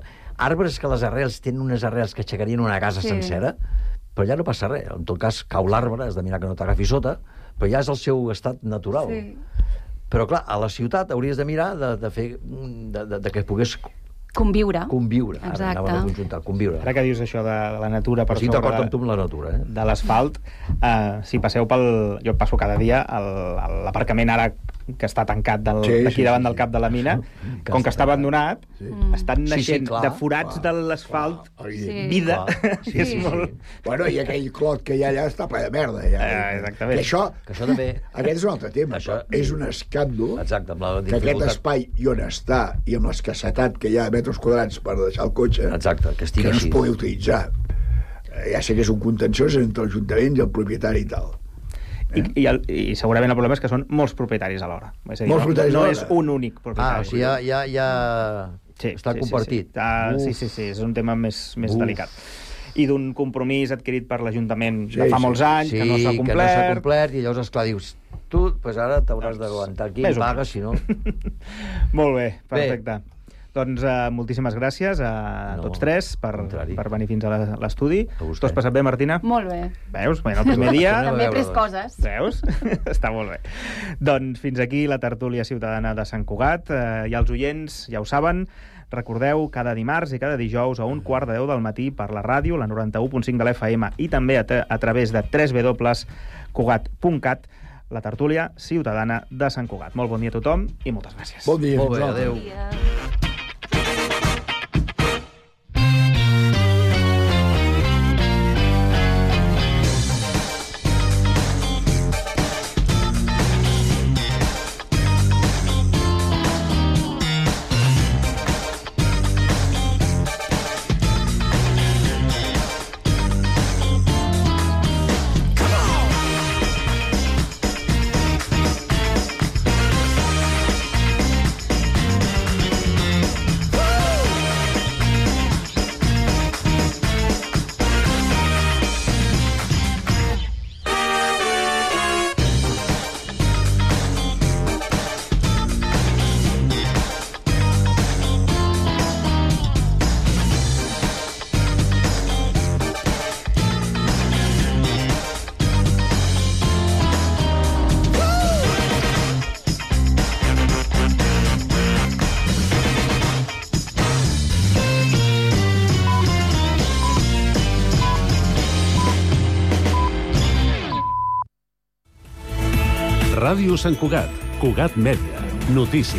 Arbres que les arrels tenen unes arrels que aixecarien una casa sí. sencera, però ja no passa res. En tot cas, cau l'arbre, has de mirar que no t'agafi sota, però ja és el seu estat natural. Sí. Però, clar, a la ciutat hauries de mirar de, de fer... De, de, de que pogués... Conviure. Conviure. Exacte. Ara anava a conjuntar, conviure. Ara que dius això de, de la natura... Per sí, d'acord amb tu amb la natura, eh? De l'asfalt, uh, si passeu pel... Jo passo cada dia a l'aparcament ara que està tancat del, sí, d'aquí sí, davant sí, del cap de la mina, sí. com que està abandonat, sí. estan naixent sí, sí, de forats clar, de l'asfalt sí. vida. Sí, és sí, molt... sí. Bueno, i aquell clot que hi ha allà està ple de merda. Ja. Uh, exactament. Que això, que això també... Aquest és un altre tema. Això... És un escàndol Exacte, amb la que aquest espai i on està i amb l'escassetat que hi ha de metres quadrats per deixar el cotxe, Exacte, que, que no així. es pugui utilitzar. Ja sé que és un contenciós entre l'Ajuntament i el propietari i tal. I, i, el, I segurament el problema és que són molts propietaris alhora. És a dir, molts no, propietaris no alhora. és un únic propietari. Ah, o sigui, ja, ja, ja... Sí, està sí, compartit. Sí, sí. Ah, sí, sí, sí, és un tema més, més delicat. I d'un compromís adquirit per l'Ajuntament sí, de fa molts anys, sí, que no s'ha complert. que no s'ha complert, i llavors, esclar, dius, tu pues ara t'hauràs doncs, d'aguantar aquí, pagues, si no... Molt bé, perfecte. Bé. Doncs uh, moltíssimes gràcies a no, tots tres per, per venir fins a l'estudi. Tu has passat bé, Martina? Molt bé. Veus? Bé, el primer dia... També he pres coses. Veus? Està molt bé. Doncs fins aquí la tertúlia ciutadana de Sant Cugat. Uh, I els oients ja ho saben, recordeu, cada dimarts i cada dijous a un quart de deu del matí per la ràdio, la noranta-u punt cinc de l'F M, i també a, a través de w w w punt cugat punt cat, la tertúlia ciutadana de Sant Cugat. Molt bon dia a tothom i moltes gràcies. Bon dia. Molt bé, adéu. Bon dia. Ràdio Sant Cugat, Cugat Mèdia, notícies.